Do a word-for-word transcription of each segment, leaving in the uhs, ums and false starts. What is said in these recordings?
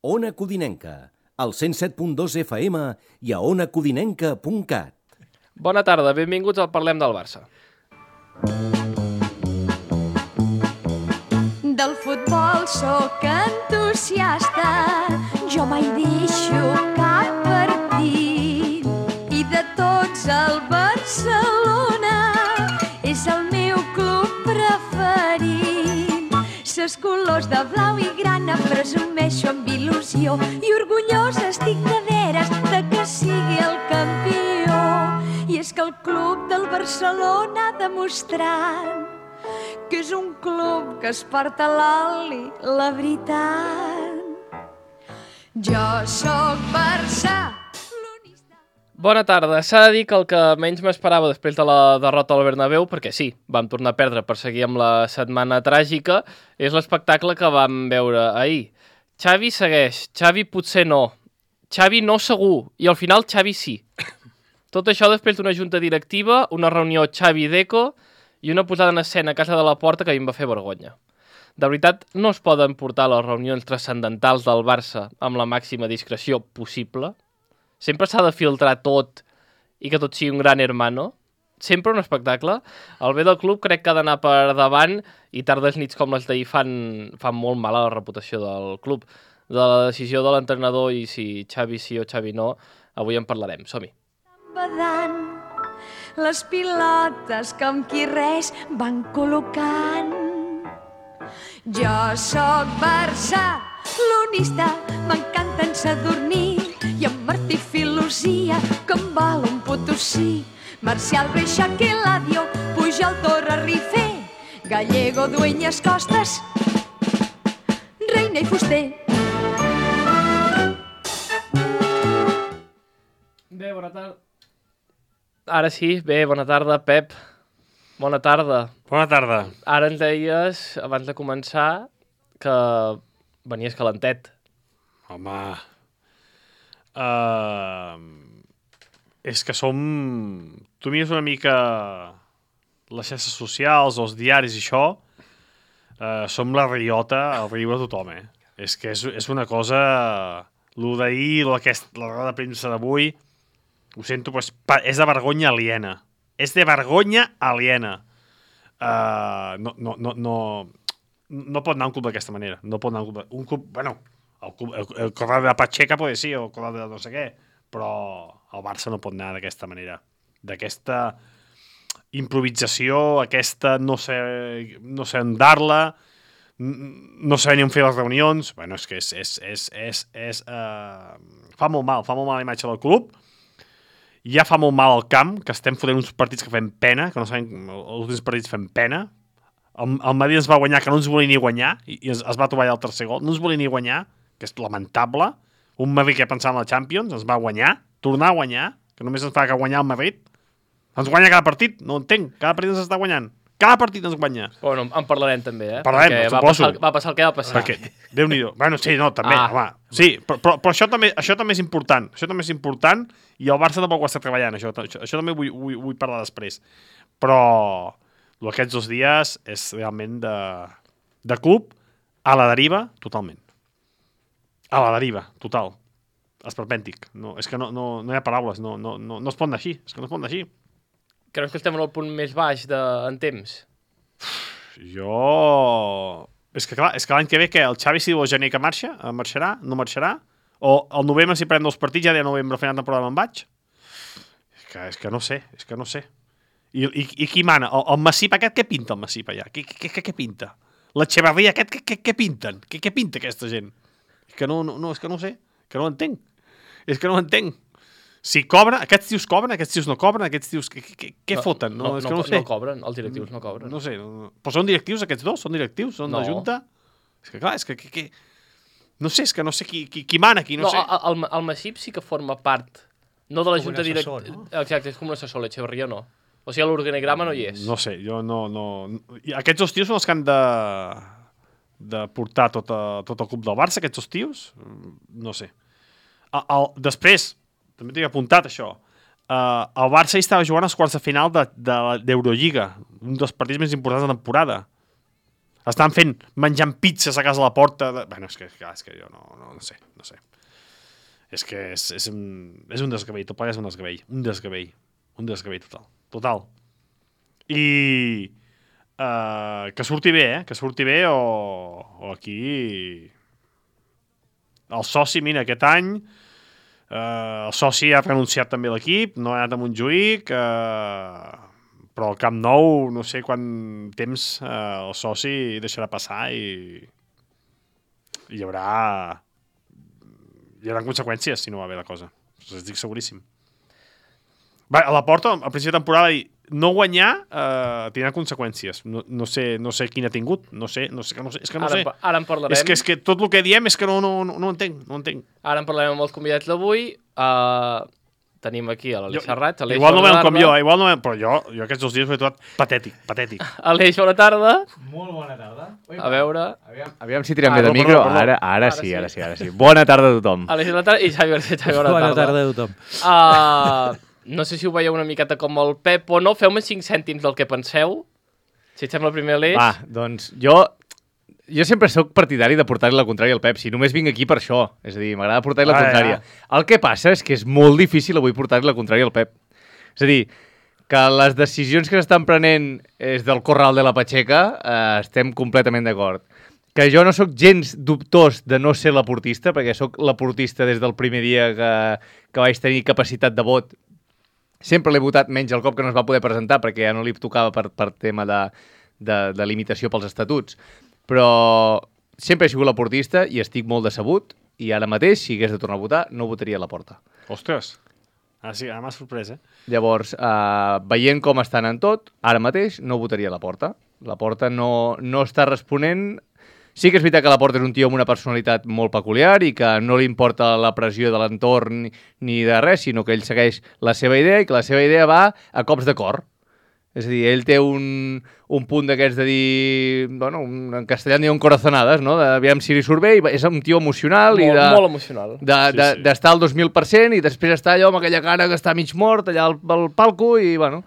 Ona Codinenca, al cent set punt dos F M i a ona codinenca punt cat. Bona tarda, benvinguts al Parlem del Barça. Del futbol sóc entusiasta, jo mai deixo cap partit. I de tots el Barcelona és el meu club preferit. Ses colors de blau i grana presumeixo amb il·lusió i orgullosa estic de veres de que sigui el campió. I és que el club del Barcelona ha demostrat que és un club que es porta a l'oli, la veritat. Jo sóc Barça. Bona tarda. S'ha de dir que el que menys m'esperava després de la derrota al Bernabéu, perquè sí, vam tornar a perdre per seguir amb la setmana tràgica, és l'espectacle que vam veure ahir. Xavi segueix, Xavi potser no, Xavi no segur, i al final Xavi sí. Tot això després d'una junta directiva, una reunió Xavi-Deco i una posada en escena a casa de la Porta que a mi em va fer vergonya. De veritat, no es poden portar les reunions transcendentals del Barça amb la màxima discreció possible. Sempre s'ha de filtrar tot i que tot sigui un gran hermano. Sempre un espectacle. El bé del club crec que ha d'anar per davant i tardes nits com les d'ahir fan, fan molt mal a la reputació del club. De la decisió de l'entrenador i si Xavi sí o Xavi no, avui en parlarem. Som-hi. Badant les pilotes que amb qui res van col·locant. Jo sóc barcelonista, m'encanten Sadurní i en Martí Filosia, que em val un Potosí. Marcial, Reixac, Eladio, Pujol, Torra, Rifé, Gallego, Dueñas, Costas, Reina i Fuster. Bé, bona tarda. Ara sí, bé, bona tarda, Pep. Bona tarda. Bona tarda. Ara ens deies, abans de començar, que venies calentet. Home... Uh, és que som... Tu mires una mica les xarxes socials, els diaris i això, uh, som la riota al riure de tothom, eh? És que és, és una cosa... Lo d'ahir, aquest, la roda de premsa d'avui, ho sento, però és, és de vergonya aliena. És de vergonya aliena. Uh, no, no, no, no, no pot anar un club d'aquesta manera. No pot anar un club... Un club bueno, el, el, el corral de Pacheca pot sí, o el corral de no sé què, però el Barça no pot anar d'aquesta manera. D'aquesta improvisació, aquesta no sé, no sé andar-la, no sé ni on fer les reunions. Bueno, és que és... és, és, és, és uh, fa molt mal, fa molt mal la imatge del club. Ja fa molt mal al camp, que estem fotent uns partits que fem pena, que no sabem, els últims partits fem pena. El, el Madrid ens va guanyar, que no ens volia ni guanyar, i, i es, es va trobar allà el tercer gol. No ens volia ni guanyar, que és lamentable. Un Madrid que pensava en la Champions, ens va guanyar, tornar a guanyar, que només ens fa que guanyar el Madrid. Ens guanya cada partit, no ho entenc, cada partit ens està guanyant. Cada partit ens guanya. Bueno, en parlarem també, eh? Parlarem, perquè va passar, va passar el que va passar. Perquè, Déu-n'hi-do. Bueno, sí, no, també, ah. home. Sí, però, però, però això, també, això també és important. Això també és important i el Barça tampoc ho està treballant. Això, això, això també vull, vull, vull parlar després. Però aquests dos dies és realment de, de club a la deriva totalment. A la deriva, total. Esperpèntic. No, és que no, no, no hi ha paraules. No, no, no, no es pot anar així. És que no es pot anar així. Creus que estem en el punt més baix de, en temps? Jo... És que clar, és que l'any que ve què? El Xavi si diu el gener que marxa? Marxarà? No marxarà? O el novembre si pren dos partits ja de novembre final de temporada me'n vaig? És que, és que no sé, és que no sé. I, i, i qui mana? El, el Massip aquest què pinta el Massip allà? Què, què, què, què pinta? L'Echeverria aquest què, què, què pinten? Què, què pinta aquesta gent? És que no, no, no, és que no sé, que no ho entenc. És que no ho entenc. Si cobra, aquests tios cobren, aquests tios no cobren, aquests tios... Què no, foten? No, no, és que no, no sé. No cobren, els directius no cobren. No sé, no, però són directius aquests dos? Són directius? Són no. de Junta? És que clar, és que... que, que... No sé, és que no sé qui, qui, qui mana aquí, no, no sé. El, el, el Massip sí que forma part, no de la com Junta directiva. No? Exacte, és com un assessor, l'Echeverria no. O sigui, l'organigrama no hi és. No sé, jo no... no... Aquests dos tios són els que han de, de portar tot, a, tot el club del Barça, aquests dos tios? No sé. El, el, després, també tinc apuntat això, Uh, el Barça hi estava jugant als quarts de final de, de, d'Eurolliga, un dels partits més importants de la temporada. Estan fent, menjant pizzas a casa de la porta. De... Bueno, és que, clar, és que jo no, no, no sé, no sé. És que és, és, un, és un desgavell, tot plegat és un desgavell. Un desgavell. Un desgavell total. Total. I uh, que surti bé, eh? Que surti bé o, o aquí... El soci, mira, aquest any uh, el soci ha renunciat també a l'equip, no ha anat a Montjuïc, uh, però al Camp Nou no sé quant temps uh, el soci deixarà passar i, i hi haurà hi haurà conseqüències si no va bé la cosa. Us estic seguríssim. Va, a la porta, al principi de temporada, no guanyar eh, tindrà conseqüències. No, no, sé, no sé quin ha tingut. No sé, no sé, no sé, és que no ara, sé. Ara en parlarem. És que, és que tot el que diem és que no, no, no, no entenc, no entenc. Ara en parlarem amb els convidats d'avui. Uh, tenim aquí a l'Aleix Serrat. Aleix, igual no veiem com jo, igual no veiem, però jo, jo aquests dos dies ho he trobat patètic, patètic. Aleix, bona tarda. Molt bona tarda. Ui, a veure... Aviam, aviam si tirem ah, bé de no, micro. perdó, perdó. Ara, ara, Ara sí, sí. ara sí, ara sí. Bona tarda a tothom. Aleix, bona tarda. I Xavi García, Xavi, bona, Bona tarda. tarda a tothom. Uh, no sé si ho veieu una miqueta com el Pep o no. Feu-me cinc cèntims del que penseu. Si et sembla primer, Aleix. Va, doncs jo... Jo sempre sóc partidari de portar-li la contrària al Pep. Si només vinc aquí per això. És a dir, m'agrada portar-li la Ah, contrària. ja. El que passa és que és molt difícil avui portar-li la contrària al Pep. És a dir, que les decisions que s'estan prenent és del corral de la Pacheca, eh, estem completament d'acord. Que jo no sóc gens dubtós de no ser l'aportista, perquè sóc l'aportista des del primer dia que, que vaig tenir capacitat de vot. Sempre l'he votat menys el cop que no es va poder presentar, perquè ja no li tocava per, per tema de, de, de limitació pels estatuts. Però sempre he sigut l'aportista i estic molt decebut, i ara mateix, si hagués de tornar a votar, no votaria a la porta. Ostres, ara sí, ara m'ha sorprès, eh? Llavors, eh, veient com estan en tot, ara mateix no votaria a la porta. La porta no, no està responent. Sí que és veritat que la porta és un tio amb una personalitat molt peculiar i que no li importa la pressió de l'entorn ni, ni de res, sinó que ell segueix la seva idea i que la seva idea va a cops de cor. És a dir, ell té un, un punt d'aquests de dir... Bueno, un, en castellà en diuen corazonades, no? Aviam si li surt bé, i és un tio emocional molt, i de... Molt emocional. D'estar de, Sí, sí. de, al dos mil per cent i després estar allò amb aquella cara que està mig mort allà al, al palco i, bueno...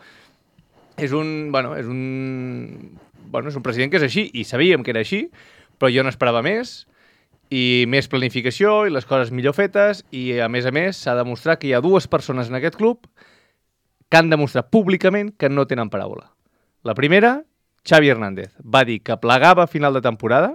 És un... Bueno, és un... Bueno, és un president que és així i sabíem que era així, però jo n'esperava més i més planificació i les coses millor fetes i, a més a més, s'ha de demostrar que hi ha dues persones en aquest club que han demostrat públicament que no tenen paraula. La primera, Xavi Hernández, va dir que plegava a final de temporada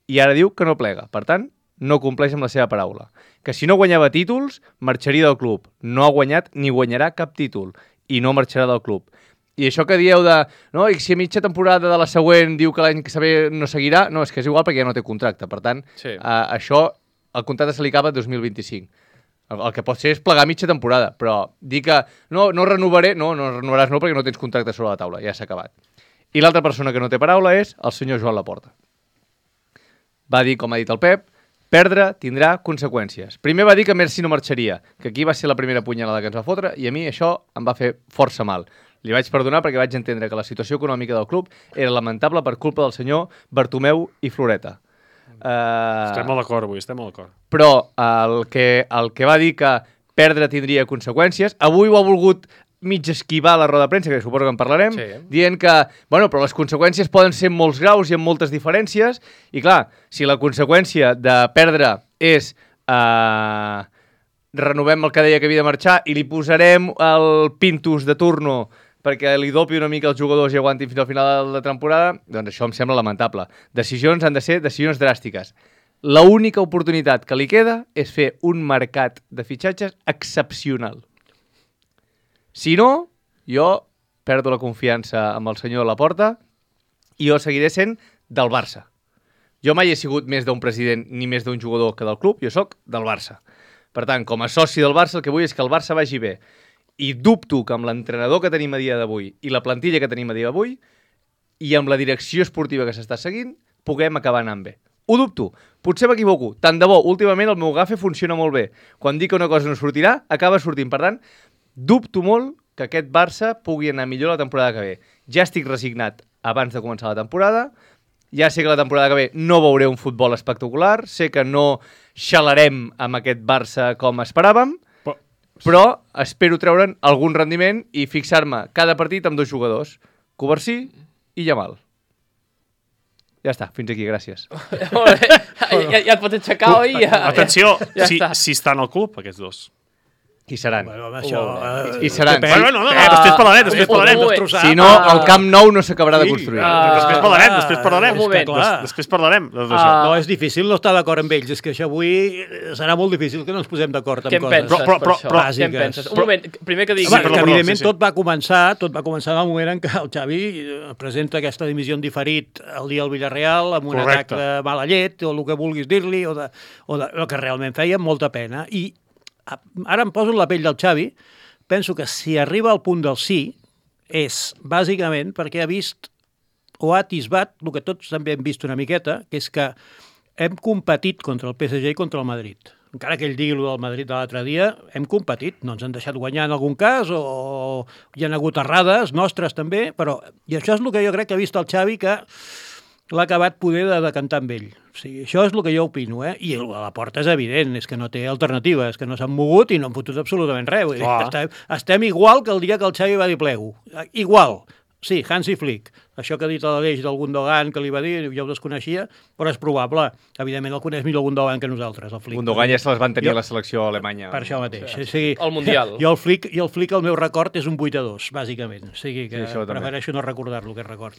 i ara diu que no plega. Per tant, no compleix amb la seva paraula. Que si no guanyava títols, marxaria del club. No ha guanyat ni guanyarà cap títol i no marxarà del club. I això que dieu de... No, i si a mitja temporada de la següent diu que l'any que ve no seguirà, no, és que és igual perquè ja no té contracte. Per tant, Sí. eh, això, el contracte se li acaba dos mil vint-i-cinc. El, el que pot ser és plegar mitja temporada, però dir que no, no renovaré, no, no renovaràs no perquè no tens contracte sobre la taula, ja s'ha acabat. I l'altra persona que no té paraula és el senyor Joan Laporta. Va dir, com ha dit el Pep, perdre tindrà conseqüències. Primer va dir que Merci no marxaria, que aquí va ser la primera punyalada que ens va fotre, i a mi això em va fer força mal. Li vaig perdonar perquè vaig entendre que la situació econòmica del club era lamentable per culpa del senyor Bartomeu i Floreta. Uh, Estem molt d'acord avui, estem molt d'acord. però el que, el que va dir que perdre tindria conseqüències, avui ho ha volgut mig esquivar la roda de premsa, que suposo que en parlarem, Sí. dient que, bueno, però les conseqüències poden ser en molts graus i amb moltes diferències, i clar, si la conseqüència de perdre és eh, renovem el que deia que havia de marxar i li posarem el Pintus de turno perquè li dopi una mica els jugadors i aguantin fins al final de la temporada, doncs això em sembla lamentable. Decisions han de ser decisions dràstiques. L'única oportunitat que li queda és fer un mercat de fitxatges excepcional. Si no, jo perdo la confiança amb el senyor Laporta i jo seguiré sent del Barça. Jo mai he sigut més d'un president ni més d'un jugador que del club, jo sóc del Barça. Per tant, com a soci del Barça, el que vull és que el Barça vagi bé. I dubto que amb l'entrenador que tenim a dia d'avui i la plantilla que tenim a dia d'avui i amb la direcció esportiva que s'està seguint, puguem acabar anant bé. Ho dubto. Potser m'equivoco. Tant de bo, últimament el meu gafe funciona molt bé. Quan dic que una cosa no sortirà, acaba sortint. Per tant, dubto molt que aquest Barça pugui anar millor la temporada que ve. Ja estic resignat abans de començar la temporada. Ja sé que la temporada que ve no veuré un futbol espectacular. Sé que no xalarem amb aquest Barça com esperàvem. Però, Però espero treure'n algun rendiment i fixar-me cada partit amb dos jugadors, Covarsí i Yamal. Ja està, fins aquí, gràcies. Molt bé. ja, ja et pots aixecar, oi? Ja, Atenció, ja si, està. si estan al club, aquests dos. Qui seran? Bueno, home, això... I, eh, i seran. depèn. Bueno, no, no, no, Ah, després parlarem, després un parlarem. moment. destrossar. Si no, el Camp Nou no s'acabarà de Sí. construir. Ah, Després parlarem, després parlarem. un moment. Clar. Des- Després parlarem de tot Ah. això. No, és difícil no estar d'acord amb ells. És que això avui serà molt difícil que no ens posem d'acord amb Què en coses. penses Però- però- per però- això? però- Què en bàsiques. penses? Un Però- moment, primer que digui... Home, Sí, però- que però- evidentment sí, sí. tot va començar tot va començar en el moment en què el Xavi eh, presenta aquesta dimissió en diferit el dia al Villarreal amb un Correcte. atac de mala llet o el que vulguis dir-li o, de, o de, el que realment feia molta pena. I a- ara em poso en la pell del Xavi, penso que si arriba al punt del sí és bàsicament perquè ha vist o ha atisbat el que tots també hem vist una miqueta, que és que hem competit contra el P S G i contra el Madrid. Encara que ell digui el del Madrid de l'altre dia, hem competit, no ens han deixat guanyar en algun cas, o hi ha hagut errades nostres també, però i això és el que jo crec que ha vist el Xavi, que l'ha acabat poder de decantar amb ell. O sigui, això és el que jo opino, eh? I a la porta és evident, és que no té alternativa, és que no s'han mogut i no han fotut absolutament res. Vull dir, Clar. estem, estem igual que el dia que el Xavi va dir plego. Igual. Sí, Hansi Flick. Això que ha dit a l'Aleix del Gundogan, que li va dir, jo ho desconeixia, però és probable. Evidentment el coneix millor el Gundogan que nosaltres, el Flick. Gundogan ja se les van tenir Jo- a la selecció alemanya. Per això mateix. O sigui, El Mundial. Jo el Flick, jo el Flick, el meu record és un vuit a dos, bàsicament. O sigui que Sí, això també. prefereixo no recordar-lo, que record.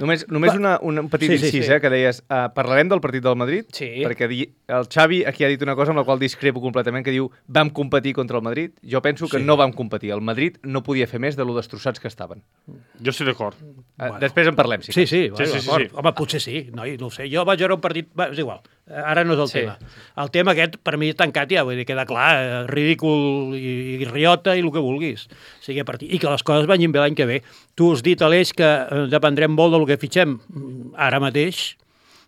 Només, només una, una, un petit Sí, sí, incís, sí. eh, que deies, uh, parlarem del partit del Madrid? Sí. Perquè di, el Xavi aquí ha dit una cosa amb la qual discrepo completament, que diu, vam competir contra el Madrid. Jo penso que Sí. no vam competir. El Madrid no podia fer més de lo destrossats que estaven. Jo estic d'acord. Uh, Després en parlem, sí. Sí, sí, Sí, sí, sí, d'acord. sí. Home, potser sí, noi, no ho sé. Jo vaig veure un partit... Va, és igual, ara no és el Sí. tema. El tema aquest, per mi, tancat ja, vull dir, queda clar, eh, ridícul i, i riota i el que vulguis. O sigui, a partir... I que les coses vagin bé l'any que ve. Tu has dit, Aleix, que eh, dependrem molt del que fitxem mm, ara mateix,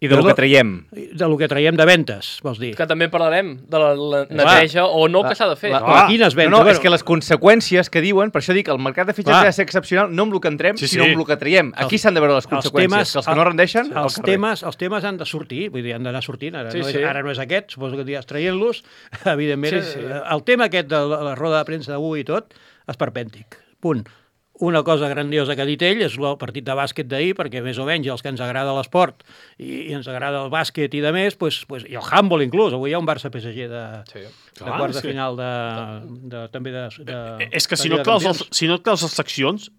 I de lo Jo que no- traiem. del que traiem de ventes, vols dir. Que també parlarem de la, la neteja o no que s'ha de fer. La- Clar, quines ventes? No, no, Bueno, és que les conseqüències que diuen, per això dic, el mercat de fitxatge Clar. ha de ser excepcional, no amb el que entrem, Sí, sinó sí. amb el que traiem. Aquí Els- s'han de veure les els conseqüències, temes- que els que no rendeixen, al els carrer. temes, els temes han de sortir, vull dir, han d'anar sortint. Ara, Sí, no és, sí. ara no és aquest, suposo que diràs traient-los. Evidentment, Sí, sí. eh, el tema aquest de la, la roda de premsa d'avui i tot, esperpèntic. Punt. Una cosa grandiosa que ha dit ell és el partit de bàsquet d'ahir, perquè més o menys els que ens agrada l'esport i, i ens agrada el bàsquet i de més, pues, pues, i el handball inclús, avui hi ha un Barça-P S G de, Sí. de Clar, quarts és de que- final de, de, també de, de, És que si de no Lliga et claus, de els, Campions. si no et claus les seccions,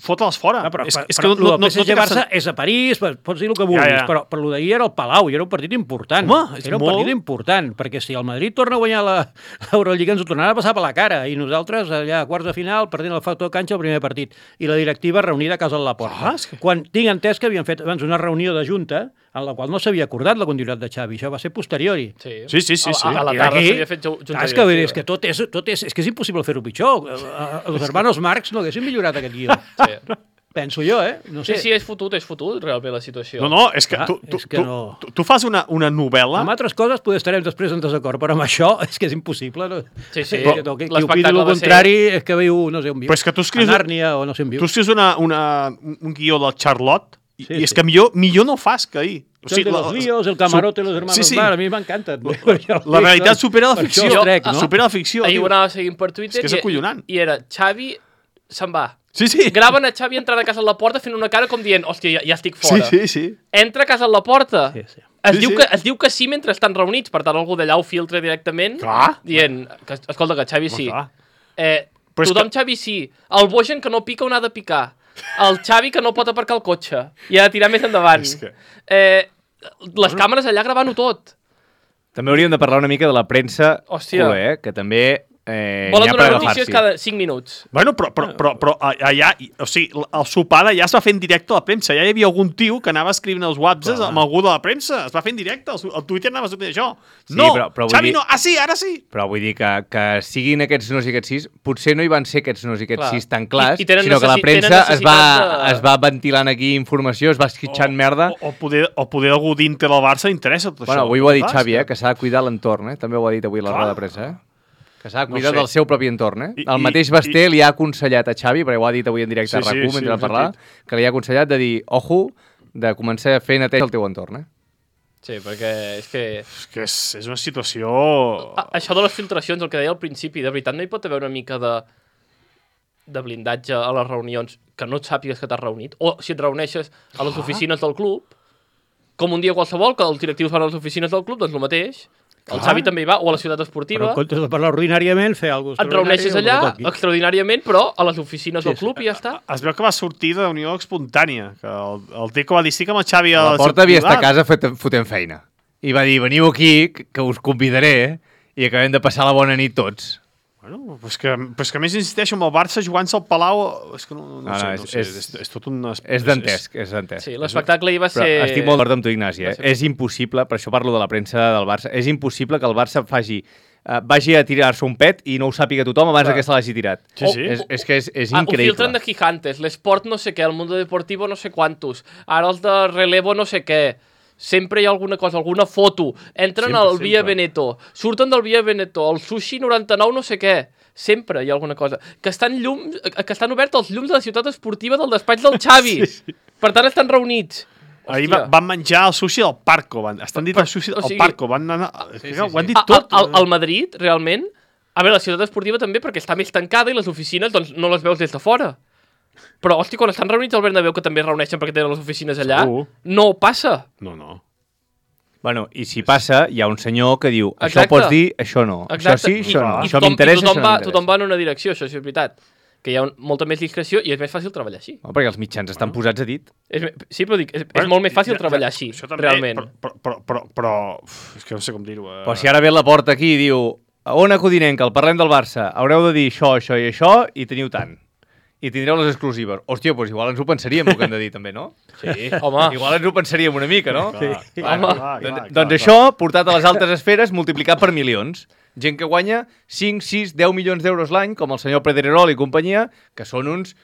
fota-les fora. Ah, però, és, però, és que però no, no, el no, P S G no té cap Barça sen- és a París, pots dir el que vulguis, Ja, ja. però, però el d'ahir era el Palau i era un partit important. Home, és era un molt- partit important, perquè si el Madrid torna a guanyar la- l'Eurolliga ens ho tornarà a passar per la cara, i nosaltres allà a quarts de final perdent el factor canxa el primer partit, i la directiva reunida a casa de la porta. Ah, és que- Quan tinc entès que havien fet abans una reunió de junta en la qual no s'havia acordat la continuïtat de Xavi, això va ser posteriori. Sí, Sí, sí, sí, sí. A, a la I tarda d'aquí- s'havia fet ju- junta Clar, és que, vull dir, és directiva. que tot és, tot és, és que és impossible fer-ho pitjor. Eh, eh, Els hermanos Marx no haguessin millorat aquest guió. Sí. Penso jo, eh? No Sí, sé. sí, és fotut, és fotut, realment, la situació. No, no, és que, Clar, tu, tu, és que tu, no. tu, tu fas una, una novel·la... Amb altres coses poder estarem després en desacord, però amb això és que és impossible. No? Sí, sí. És que, no, que, qui opini L'espectacle el va ser- contrari és que viu, no sé on viu. Però és que tu escrius- A Nàrnia o no sé on viu. Tu escrius una, una, un guió del Charlotte i, Sí, i és sí. que millor, millor no fas que ahir. O El de los líos, el camarote, los hermanos sí, sí. Mar, a mi m'encanten. La realitat supera la Per ficció. això els trec, no? Supera la ficció. Ahir tio. ho anava seguint per Twitter És que és i- acollonant. i era Xavi se'n va. Sí, sí. Graven a Xavi entrant a casa a la porta fent una cara com dient, hòstia, ja, ja estic Sí, fora. sí, sí. Entra a casa a la porta. Sí, sí. Es, Sí, diu sí. Que, es diu que sí mentre estan reunits, per tant algú d'allà ho filtra directament, Clar. dient, que, escolta, que Xavi sí. Clar. Eh, Però és tothom que- Xavi sí. El Bojan que no pica on ha de picar. El Xavi que no pot aparcar el cotxe. I ha de tirar més endavant. És que- Eh, les càmeres allà gravant-ho tot. També hauríem de parlar una mica de la premsa Hòstia. culer, eh? Que també eh, Volen n'hi ha per donar notícies agafar-s'hi. cada cinc minuts. Bueno, però, però, però, però allà, o sigui, el sopar d'allà es va fer en directe a la premsa. Ja hi havia algun tio que anava escrivint els whatsapps amb algú de la premsa. Es va fer en directe. El, el Twitter anava a sortir això. Sí, No, però- però vull Xavi dir- no. Ah, sí, ara sí. Però vull dir que, que siguin aquests nos i aquests sis, potser no hi van ser aquests nos i aquests Clar. sis tan clars, I- i tenen sinó que la necessi- premsa tenen es va, necessitat de- es va ventilant aquí informació, es va esquitxant merda. O, o, poder, o poder algú d'Inter al Barça interessa tot Bueno, això. avui ho ha dit Saps? Xavi, eh? Que s'ha de cuidar l'entorn, eh? També ho ha dit avui a la Clar. roda de premsa, eh? Que s'ha de No cuidar sé. del seu propi entorn, eh? I- El i- mateix Basté li ha aconsellat a Xavi, perquè ho ha dit avui en directe Sí, a sí, RAC u sí, mentre ho el he parlava, que li ha aconsellat de dir, ojo, de començar a fer neteja al teu entorn, eh? Sí, perquè és que... És que és, és una situació... A, això de les filtracions, el que deia al principi, de veritat no hi pot haver una mica de de blindatge a les reunions que no et sàpigues que t'has reunit? O si et reuneixes a les oficines del club, com un dia qualsevol, que els directius van a les oficines del club, doncs el mateix. El Clar. Xavi també hi va, o a la ciutat Però esportiva. en comptes de parlar ordinàriament, fer alguna cosa Et reuneixes allà, extraordinàriament, però a les oficines del Sí, club i ja està. Es veu que va sortir de unió espontània, que el, el Teco va dir sí que amb el Xavi... A la al porta seu havia estat a privat. casa fet- fotent feina. I va dir, veniu aquí, que que us convidaré, i acabem de passar la bona nit tots. Bueno, però és que, però és que a més insisteixo amb el Barça jugant-se al Palau... És que no, no, No, sé, no, no és- sé, és- és, és, tot un... És dantesc, és dantesc. Sí, l'espectacle hi va Però ser... estic molt d'acord amb tu, Ignasi. Eh? Va ser- És impossible, per això parlo de la premsa del Barça, és impossible que el Barça faci, uh, vagi a tirar-se un pet i no ho sàpiga tothom abans Clar. que se l'hagi tirat. Sí, sí. És, és que és, és Ah, ho increïble. filtren de Gigantes, l'esport no sé què, el Mundo Deportivo no sé quantos, ara els de Relevo no sé què, sempre hi ha alguna cosa, alguna foto, entren Sempre, al Via sempre. Veneto, surten del Via Veneto, el Sushi noranta-nou no sé què, sempre hi ha alguna cosa. Que estan, llums, que estan oberts els llums de la ciutat esportiva del despatx del Xavi. Sí, sí. Per tant, estan reunits. Ahir Hòstia. va, van menjar el sushi del Parco. Van, estan dit el sushi o del sigui- Parco. Van anar, sí, sí, sí. Ho han dit A- tot. a- Al, al Madrid, realment, a veure, la ciutat esportiva també, perquè està més tancada i les oficines doncs, no les veus des de fora. Però, hosti, quan estan reunits al Bernabéu, que també es reuneixen perquè tenen les oficines allà, Segur. no passa. No, no. Bueno, i si passa, hi ha un senyor que diu, això Exacte. pots dir, això no. Això sí, I, això no. i Això tothom, m'interessa, i tothom això no va, m'interessa. tothom va en una direcció, això sí és veritat. Que hi ha un, molta més discreció i és més fàcil treballar així. No, perquè els mitjans estan posats a dit. És, me- sí, però dic, és, és Bueno, molt més fàcil ja- treballar ja, així, això també, realment. Però, però, però, però uf, és que no sé com dir-ho. Eh? Però si ara ve la porta aquí i diu, a Ona Codinenca, el parlem del Barça, haureu de dir això, això i això, i teniu tant. I tindreu les exclusives. Hòstia, doncs igual ens ho pensaríem, el que hem de dir també, no? Sí, home. Igual ens ho pensaríem una mica, no? Clar, Sí. clar, Home. clar, clar, Doncs, clar, doncs clar. això, portat a les altes esferes, multiplicat per milions. Gent que guanya cinc, sis, deu milions d'euros l'any, com el senyor Pedrerol i companyia, que són uns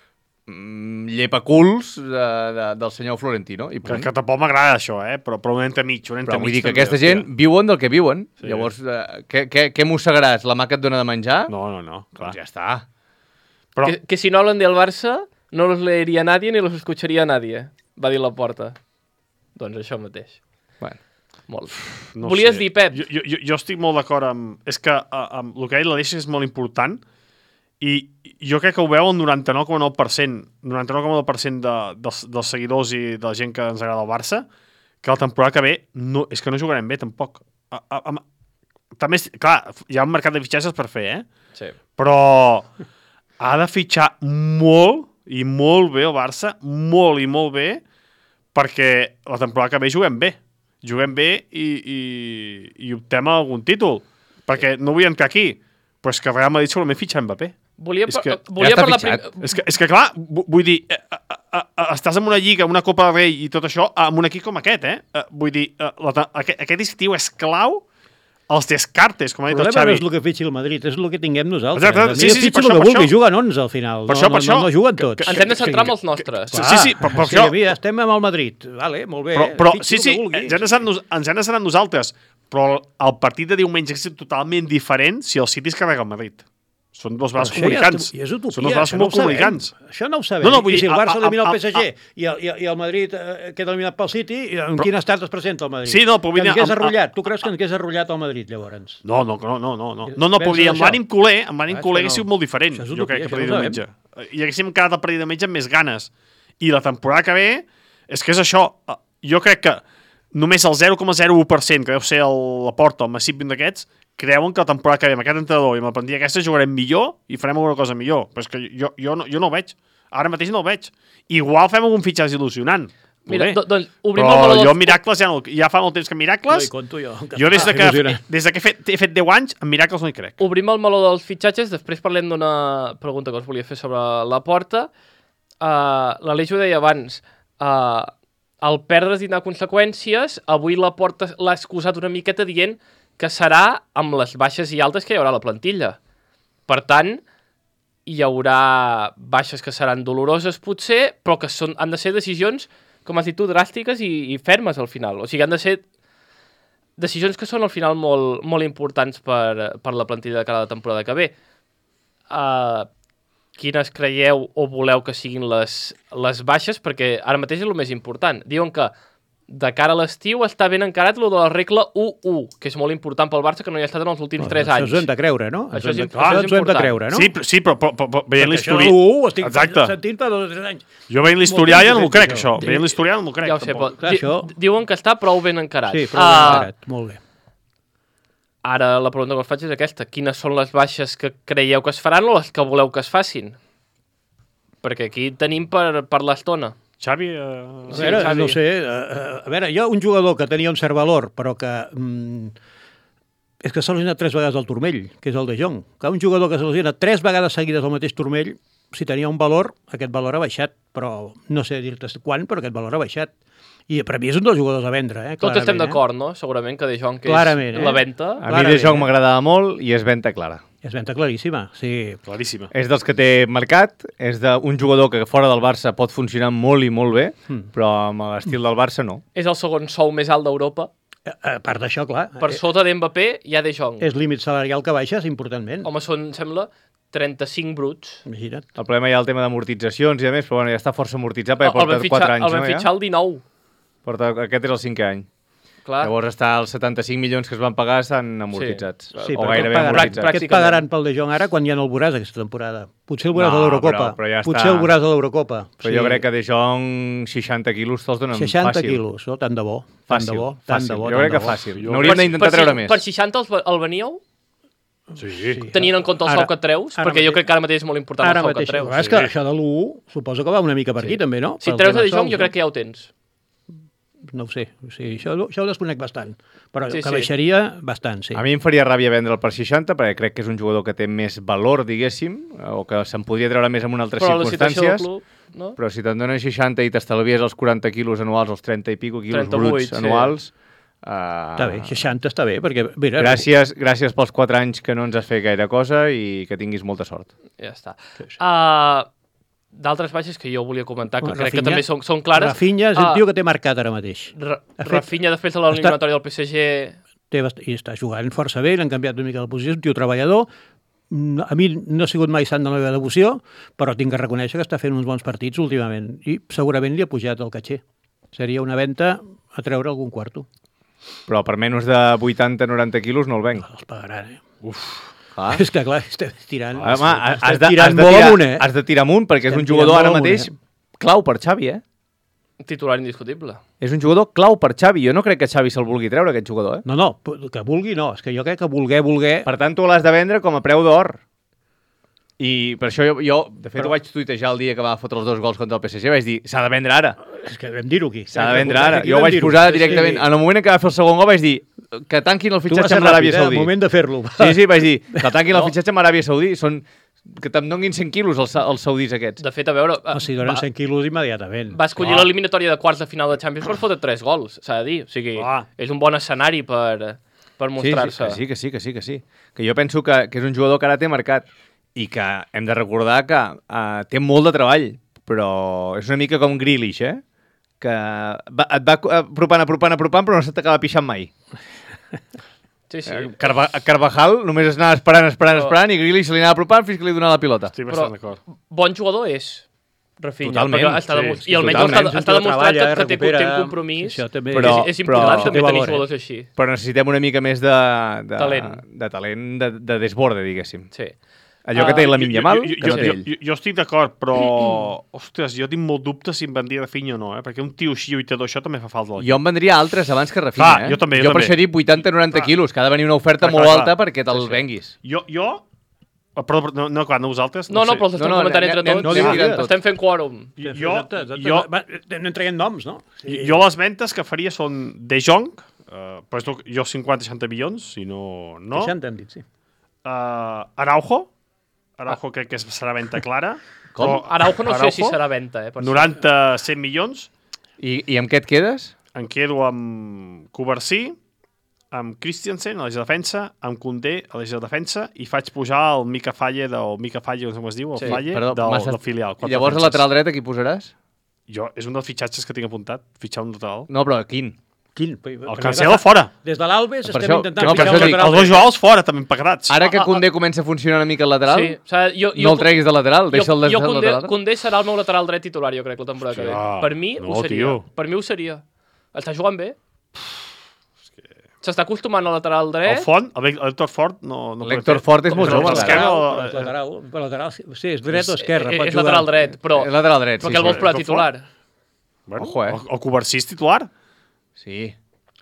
mm, llepaculs de, de, del senyor Florentino. I Que, punt. que tampoc m'agrada això, eh? Però, però un ente mig, un ente Però vull mig dir que també, aquesta hòstia. gent viuen del que viuen. Sí. Llavors, eh, què, què, què mossegaràs? La mà que et dona de menjar? No, no, no, clar. Doncs ja està. Però, Que, que si no hablan del Barça, no los leería nadie ni los escucharía nadie, va dir la porta. Doncs això mateix. Bueno. Molt. no Volies sé. dir, Pep? Jo, jo, jo- jo estic molt d'acord amb... És que a- amb el que ha dit l'Aleix és molt important i jo crec que ho veu el noranta-nou coma nou per cent noranta-nou coma nou per cent de, dels, dels seguidors i de la gent que ens agrada el Barça, que la temporada que ve no, és que no jugarem bé, tampoc. A, a, a, també, és- clar, hi ha un mercat de fitxatges per fer, eh? Sí. Però ha de fitxar molt i molt bé el Barça, molt i molt bé, perquè la temporada que ve juguem bé. Juguem bé i, i, i optem a algun títol. Perquè no vull entrar aquí, però és que el Real Madrid segurament fitxa Mbappé. Volia, És par que volia ja està parlar... fitxat. prim- És que, és que clar, vu- vull dir, eh, eh, eh, eh, estàs en una lliga, en una Copa del Rei i tot això, amb un equip com aquest, eh? eh vull dir, eh, la, te- aquest, aquest estiu és clau els descartes, com ha El dit el problema no Xavi. és el que fitxi el Madrid, és el que tinguem nosaltres. Exacte, A mi sí, sí, sí, fitxa per el això, que per vulgui, això. juguen onze al final. Per no, això, per no, això. no, no juguen Que- tots. que- Ens hem de centrar en els nostres. Sí, sí, sí, però, però Sí, això... mira, estem amb el Madrid. Vale, molt bé. Però, però fitxa sí, el sí, que vulgui. ens hem de centrar en nos- ens hem de centrar en nosaltres. Però el partit de diumenge és totalment diferent si el City es carrega el Madrid. Són dos Però braços això comunicants. Ja, és utopia, Són dos braços això no molt ho sabem. comunicants. Això no ho sabem. No, no, vull I si dir, el Barça a- a- elimina el a- P S G i, el, i, el- i el Madrid eh, queda eliminat pel City, i en Però- quin estat es presenta el Madrid? Sí, no, però vull que dir, ens hagués amb- arrotllat. Tu creus que ens hagués arrotllat el Madrid, llavors? No, no, no, no, no. No, no, no Pensa però vull dir, amb això. l'ànim culer, amb l'ànim Ah, culer això hagués no. sigut molt diferent. Això és Jo utopia, crec que això per dir no ho diumenge. I haguéssim quedat el partit de diumenge amb més ganes. I la temporada que ve, és que és això. Jo crec que només el zero coma zero u per cent, que deu ser el, la Porta, el Massip d'aquests, creuen que la temporada que ve amb aquest entrenador i amb la plantilla aquesta jugarem millor i farem alguna cosa millor. Però és que jo, jo, no, jo no ho veig. Ara mateix no ho veig. Igual fem algun fitxatge il·lusionant. Mira, Poder. do, doncs obrim el Però meló jo dels... Miracles ja, no, ja fa molt temps que No Miracles... hi conto jo. Jo des de que, il·lusionant. des de que he fet, he fet deu anys, en Miracles no hi crec. Obrim el meló dels fitxatges, després parlem d'una pregunta que us volia fer sobre la porta. Uh, L'Aleix ho deia abans, uh, el perdre tindrà conseqüències. Avui la porta l'ha excusat una miqueta dient que serà amb les baixes i altes que hi haurà a la plantilla. Per tant, hi haurà baixes que seran doloroses potser, però que són, han de ser decisions, com has dit tu, dràstiques i, i fermes al final. O sigui, han de ser decisions que són al final molt, molt importants per, per la plantilla de cada temporada que ve. Uh, quines creieu o voleu que siguin les, les baixes? Perquè ara mateix és el més important. Diuen que de cara a l'estiu està ben encarat lo de la regla u u, que és molt important pel Barça, que no hi ha estat en els últims tres anys. Això ens ho hem de creure, no? Això és, Ens ho hem de- això és ens ho hem de important. creure, no? Sí, però- sí, però, però, però, però veient Perquè això de l'historial... l'u u ho estic Exacte. sentint fa dos o tres anys. Jo veient l'historial ja no m'ho crec, això. Sí. Veient l'historial no m'ho crec, Ja ho sé, però tampoc. Clar, di això- diuen que està prou ben encarat. Sí, però ben Ah, encarat. Molt bé. Ara la pregunta que us faig és aquesta. Quines són les baixes que creieu que es faran o les que voleu que es facin? Perquè aquí tenim per, per l'estona. Xavi... Eh... A Sí, veure, Xavi. no sé, a, a veure, jo un jugador que tenia un cert valor, però que mm, és que s'ha lesionat tres vegades al turmell, que és el de Jong. Que un jugador que s'ha lesionat tres vegades seguides al mateix turmell, si tenia un valor, aquest valor ha baixat, però no sé dir-te quan, però aquest valor ha baixat. I per mi és un dels jugadors a vendre, eh? Tots estem clarament, d'acord, no? Segurament que De Jong, que Clarament, és eh? la venta... A mi Clarament, De Jong eh? m'agradava molt i és venda clara. Eh? És venda claríssima, sí. Claríssima. És dels que té mercat, és d'un jugador que fora del Barça pot funcionar molt i molt bé, Mm. però amb l'estil del Barça no. És el segon sou més alt d'Europa. A a part d'això, clar, Per eh, sota d'Mbappé hi ha De Jong. és límit salarial que baixes importantment. Home, són, sembla, trenta-cinc bruts. Imagina't. El problema hi ha el tema d'amortitzacions i a més, però bueno, ja està força amortitzat perquè El porta van quatre fitxar, anys, el van no? fitxar Ja? el dinou. Porta, aquest és el cinquè any. Clar. Llavors està els setanta-cinc milions que es van pagar estan amortitzats. Sí. Sí, o però gairebé què et pagaran, amortitzats. què et pagaran pel De Jong ara quan ja no el veuràs aquesta temporada? Potser el veuràs No, a l'Eurocopa. però- però ja Potser està. el veuràs a l'Eurocopa. Però jo crec que De Jong seixanta quilos te'ls donen seixanta fàcil. quilos, no? Tant de bo. Tant Fàcil, de bo, tant fàcil. de bo, Jo tant crec de que bo. fàcil. Jo- N'hauríem d'intentar treure més. Per seixanta els, el veníeu? Sí. Sí. Tenint en compte el Ara- sou que et treus? ara Perquè jo mateix- crec que ara mateix és molt important Ara el sou que mateix. et treus. És que això de l'u u suposo que va una mica per aquí també, no? Si Pel et treus tema a De Jong, sous, jo no? crec que ja ho tens. No ho sé, o sigui, això, això ho desconec bastant. Però Sí, que sí. baixaria bastant, sí. A mi em faria ràbia vendre'l per seixanta perquè crec que és un jugador que té més valor, diguéssim, o que se'n podria treure més en una altres Però la situació del circumstàncies. club, no? Però si te'n donen seixanta i t'estalvies els quaranta quilos anuals, els trenta i pico quilos trenta-vuit, bruts sí. anuals... Uh, Està bé, seixanta està bé, perquè... Mira, Gràcies, gràcies pels quatre anys que no ens has fet gaire cosa i que tinguis molta sort. Ja està. Sí, sí. Uh, D'altres baixes que jo volia comentar, que crec que també són, són clares. Rafinha és el Ah, tio que té marcat ara mateix. Ra Ha fet- Rafinha, després de l'eliminatòria del P S G... Té bast... I està jugant força bé, l'han canviat una mica de posició, és un tio treballador. Mm, A mi no ha sigut mai sant de la meva devoció, però tinc que reconèixer que està fent uns bons partits últimament i segurament li ha pujat el caché. Seria una venda a treure algun quarto. Però per menys de vuitanta noranta quilos no el venc. Els pagaran, eh? Clar. És que, clar, estem tirant, Home, has, estem de, has, tirant de molt tirar, amunt, eh? has de tirar amunt perquè és Estem un jugador tirant ara molt mateix amunt, clau per Xavi, eh? Titular indiscutible. És un jugador clau per Xavi. Jo no crec que Xavi se'l vulgui treure, aquest jugador, eh? No, no, que vulgui no. És que jo crec que voler, voler... Per tant, tu l'has de vendre com a preu d'or. I per això jo, jo de fet, Però- ho vaig tuitejar el dia que va fotre els dos gols contra el P S G. Vaig dir, s'ha de vendre ara. És que vam dir-ho aquí. S'ha de vendre ara. Aquí Jo ho vam vaig dir-ho. posar Sí, directament. sí. En el moment en què va fer el segon gol vaig dir que tanquin el Tu vas fitxatge ser amb l'Aràbia ràpid, eh? Saudí. Al moment de fer-lo. Sí, sí, vaig dir que tanquin No. el fitxatge amb l'Aràbia Saudí. Són... Que te'n donguin cent quilos els, els saudis aquests. De fet, a veure... O sigui, donen va, cent quilos immediatament. va escollir Clar. l'eliminatòria de quarts de final de Champions per fotre tres gols, s'ha de dir. O sigui, Clar. és un bon escenari per, per Sí, mostrar-se. sí, que sí, que sí, que sí. Que jo penso que, que és un jugador que ara té mercat i que hem de recordar que uh, té molt de treball, però és una mica com Grealish, eh? Que va, et va apropant, apropant, apropant, però no se t'acaba pixant mai. Sí, sí. Eh, Carva Carvajal només es anava esperant, esperant, Però- esperant, i Grealish se li anava apropant fins que li donava la pilota. Estic Però bastant d'acord. bon jugador és, Rafinha. Totalment, perquè està sí, demostrat, sí, I almenys totalment. està, està demostrat Treballa, que, que té, recupera. té compromís. Això també Però- és, és però- important això té també tenir valor, eh? jugadors així. Però necessitem una mica més de, de Talent. de, talent de, de desborde, diguéssim. Sí. Allò que Ah, té la Yamal, jo, que jo, no jo, té jo, ell. jo, jo estic d'acord, però... Ostres, jo tinc molt dubtes si em vendria Rafinha o no, eh? Perquè un tio així lluitador, això també fa falta. Jo en vendria altres abans que Rafinha, Clar, eh? jo també, jo jo per també. això dic vuitanta noranta Clar. quilos, que ha de venir una oferta Clar, molt clar, alta clar. perquè te'l Sí, sí. venguis. Jo, jo... Ah, Perdó, no, no, clar, no vosaltres. No, no, sé. però els estem No, no, comentant anem- entre anem- tots. anem Sí, tirant tot. estem fent quòrum. Jo, Exacte, exacte. jo, Va, anem traient noms, no? Sí. jo les ventes que faria són De Jong, uh, però és el- jo cinquanta seixanta milions, si no... no. seixanta hem dit, sí. Uh, Araujo, Araujo crec que és- serà venda clara. Com? Però Araujo no sé si serà venda, eh? per cert. noranta cent milions. I, I amb què et quedes? Em quedo amb Covarsí, amb Christiansen a l'eix de defensa, amb Koundé a l'eix de defensa i faig pujar el Mica Falle, del Mica Falle, no sé com es diu, el Sí, Falle Perdó, del, m'has- del filial. I quatre llavors al defenses. lateral dret a qui posaràs? Jo, és un dels fitxatges que tinc apuntat, fitxar un lateral. No, però quin? Quin? El Cancelo fora. Des de l'Albes Per estem això- intentant no, per fixar això un dic, lateral. Els dos Joaos fora, també pagats. Ara que ah, ah. Koundé comença a funcionar una mica al lateral, Sí, o sigui, jo, no el treguis de lateral, deixa'l de jo, jo lateral. Koundé, Koundé serà el meu lateral dret titular, jo crec, la temporada que ve. Hòstia, Per mi no, ho seria. tio. Per mi ho seria. Està jugant bé. S'està acostumant al lateral dret. El Font, el Héctor Fort, no... no L'Héctor Fort és molt jove. Esquerra, Per lateral, per lateral, sí, és dret o esquerra. És, pot és jugar. lateral dret, però... És lateral dret, però sí. que el vols sí. posar titular. Bueno, Ojo, eh? El, el Covarsí és titular. Sí.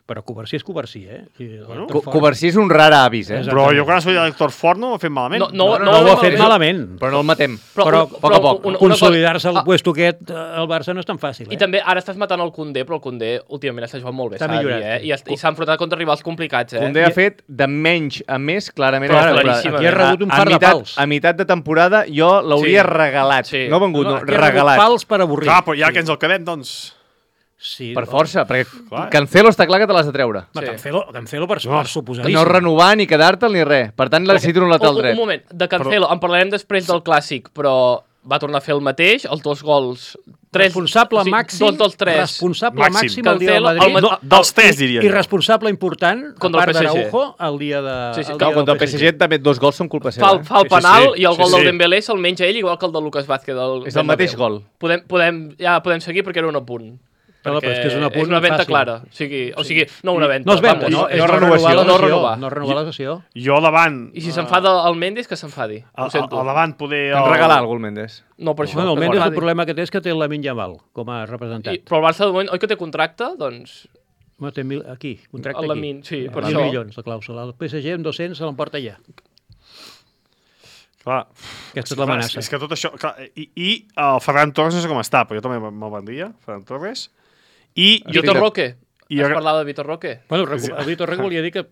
Però Covarsí és Covarsí, eh? I Bueno, l'Héctor Co Covarsí és un rar avis, eh? Exacte. Però jo quan es veia l'Héctor Fort no ho ha fet malament. No, no, No, no ho ha fet malament. Però no el matem. Però, un- poc a poc. una- una Consolidar-se cosa- al puesto aquest eh, al Barça no és tan fàcil, I eh? també ara estàs matant el Koundé, però el Koundé últimament està jugant molt bé, Està s'ha de dir, millorat. eh? I, est- i s'ha enfrontat contra rivals complicats, eh? Koundé ha fet de menys a més, clarament. Però a la temporada. claríssimament. Aquí ha rebut un A- par a de mitat, pals. A meitat de temporada jo l'hauria Sí. regalat. Sí. No vengut, no, Aquí ha rebut regalat. pals per avorrir. Clar, però ja que ens el quedem, doncs... Sí, Per força, perquè Clar. Cancelo està clar que te l'has de treure. No, Sí. Cancelo, Cancelo per, No. per suposadíssim. No renovar ni quedar-te'l ni res. Per tant, necessito un lateral un, dret. un moment, de Cancelo, en parlarem després del Clàssic, però va tornar a fer el mateix, els dos gols... Tres, Responsable o sigui, màxim, Dos dels tres. responsable Màxim. màxim el dia del Cancelo, el Madrid. Ma- No, dels tres, diria I jo. responsable important, Contra a el part P S G. d'Araujo, el dia de... Sí, sí, el Clar, dia contra el del P S G també dos gols són culpa seva. Fa, eh? fa el Sí, sí, penal sí. i el Sí, gol sí. del Dembélé se'l menja ell, igual que el de Lucas Vázquez. Del És el mateix Bernabéu. gol. Podem, podem, ja podem seguir perquè era un apunt. No, però és que és un apunt és una venda fàcil. clara. O sigui, o sigui, no una venda. No es venda, vamos, no, és no no renovació, renovar la no sessió. renovar. No renovar la sessió. Jo davant... I si s'enfada el Mendes, que s'enfadi. A, Ho sento. a, a davant poder... Em regalar algú el Mendes. No, per això. Bueno, el que Mendes el s'enfadi. problema que té és que té el Lamine Yamal com a representant. I, però el Barça de moment, oi que té contracte? Doncs No, té mil, aquí, contracte el aquí. Lamine, sí, per mil això. milions, la clàusula. El P S G amb dos-cents se l'emporta ja. Clar, Aquesta és clar, l'amenaça. és que tot això... Clar, I, I el Ferran Torres no sé com està, però jo també me'l vendria, Ferran Torres. I jo Vitor Roque. I Has jo- parlat de Vitor Roque? Bueno, recu- el Vitor Rec volia dir que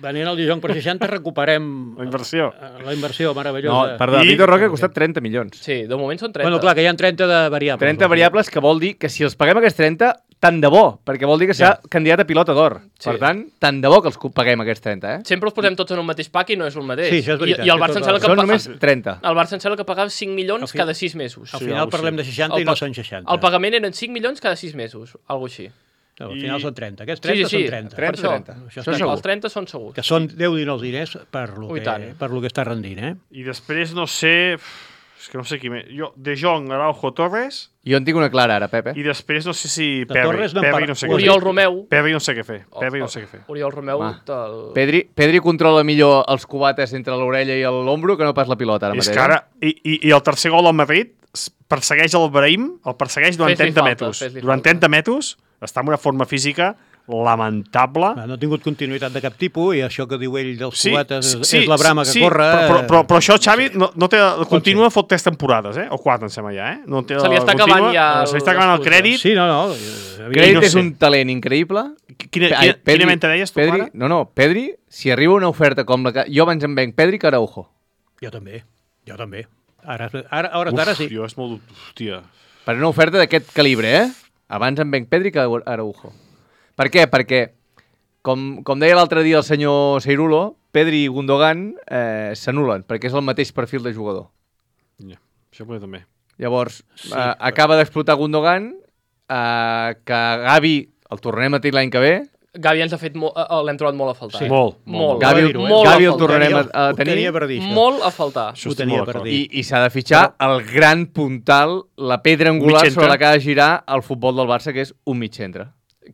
venint al Dijon per seixanta recuperem La inversió. eh, la inversió No, meravellosa. perdó, I- Vitor Roque ha costat trenta milions. Sí, de moment són trenta. Bueno, clar, que hi ha trenta de variables. trenta variables, que vol dir que si els paguem aquests trenta, tant de bo, perquè vol dir que serà candidat a pilota d'or. Sí. Per tant, tant de bo que els paguem aquests trenta, eh? Sempre els posem tots en un mateix pack i no és el mateix. Sí, això és veritat, I, i el que Barça tot em sembla el- que... Són pa- només trenta. El Barça em sembla que pagava cinc milions Al fi- cada sis mesos. Al Sí, final algo parlem així. de seixanta El i no pa- són seixanta. El pagament eren cinc milions cada sis mesos, algo així. No, al I- final són trenta. Aquests Sí, trenta sí, sí. són trenta. Per això. trenta. Això Això està segur. Els trenta són segurs. Que són deu dinou diners per lo, Ui, que, tant. per lo que està rendint, eh? I després no sé... És que no sé qui més. Jo, De Jong, Araujo, Torres, Jo en tinc una clara ara, Pepe. i després no sé si De Perry. Torres no en Perry parla- no sé què Oriol fer. Romeu. Perry no sé què fer. Perry no sé què fer. Oriol Romeu Va. del... Pedri, Pedri controla millor els cubates entre l'orella i l'ombro que no pas la pilota ara És mateix. que ara... I, i, I el tercer gol al Madrid s- persegueix el Brahim, el persegueix durant Fes-li trenta falta, metres. fes-li Durant falta. trenta metres està en una forma física lamentable. Ah, No ha tingut continuïtat de cap tipus i això que diu ell dels Sí, cubates és, sí, és la brama que sí, corre. Però, però, però, però això, Xavi, no, no té, continua ser. fot tres temporades, eh? O quatre, em sembla ja, eh? No té, Se li està continua, acabant ja Se li està acabant el l'excusa. crèdit. Sí, no, no. Crèdit no és sé. un talent increïble. Quina, Ai, quina, quina mente deies tu, Pedri, Clara? no, no, Pedri, si arriba una oferta com la que... Jo abans em venc Pedri que Araujo. Jo també, jo també. Ara, ara, a hores d'ara sí. Jo és molt... Hòstia. Per una oferta d'aquest calibre, eh? Abans em venc Pedri que Araujo. Per què? Perquè, com, com deia l'altre dia el senyor Seirulo, Pedri i Gundogan eh, s'anulen, perquè és el mateix perfil de jugador. Ja, això potser també. Llavors, sí, eh, acaba d'explotar Gundogan, eh, que Gavi el tornem a tenir l'any que ve. Gavi ens ha fet... Mo... eh, L'hem trobat molt a faltar. Sí. eh? Molt, Molt. Gavi, dir-ho, eh? molt Gavi a el faltar. tornarem a, a Ho tenia tenir. per dir, això. Molt a faltar. Això Ho tenia estic molt per d'acord. dir. I, I s'ha de fitxar el gran puntal, la pedra angular Mig centre. sobre la que ha de girar el futbol del Barça, que és un mig centre.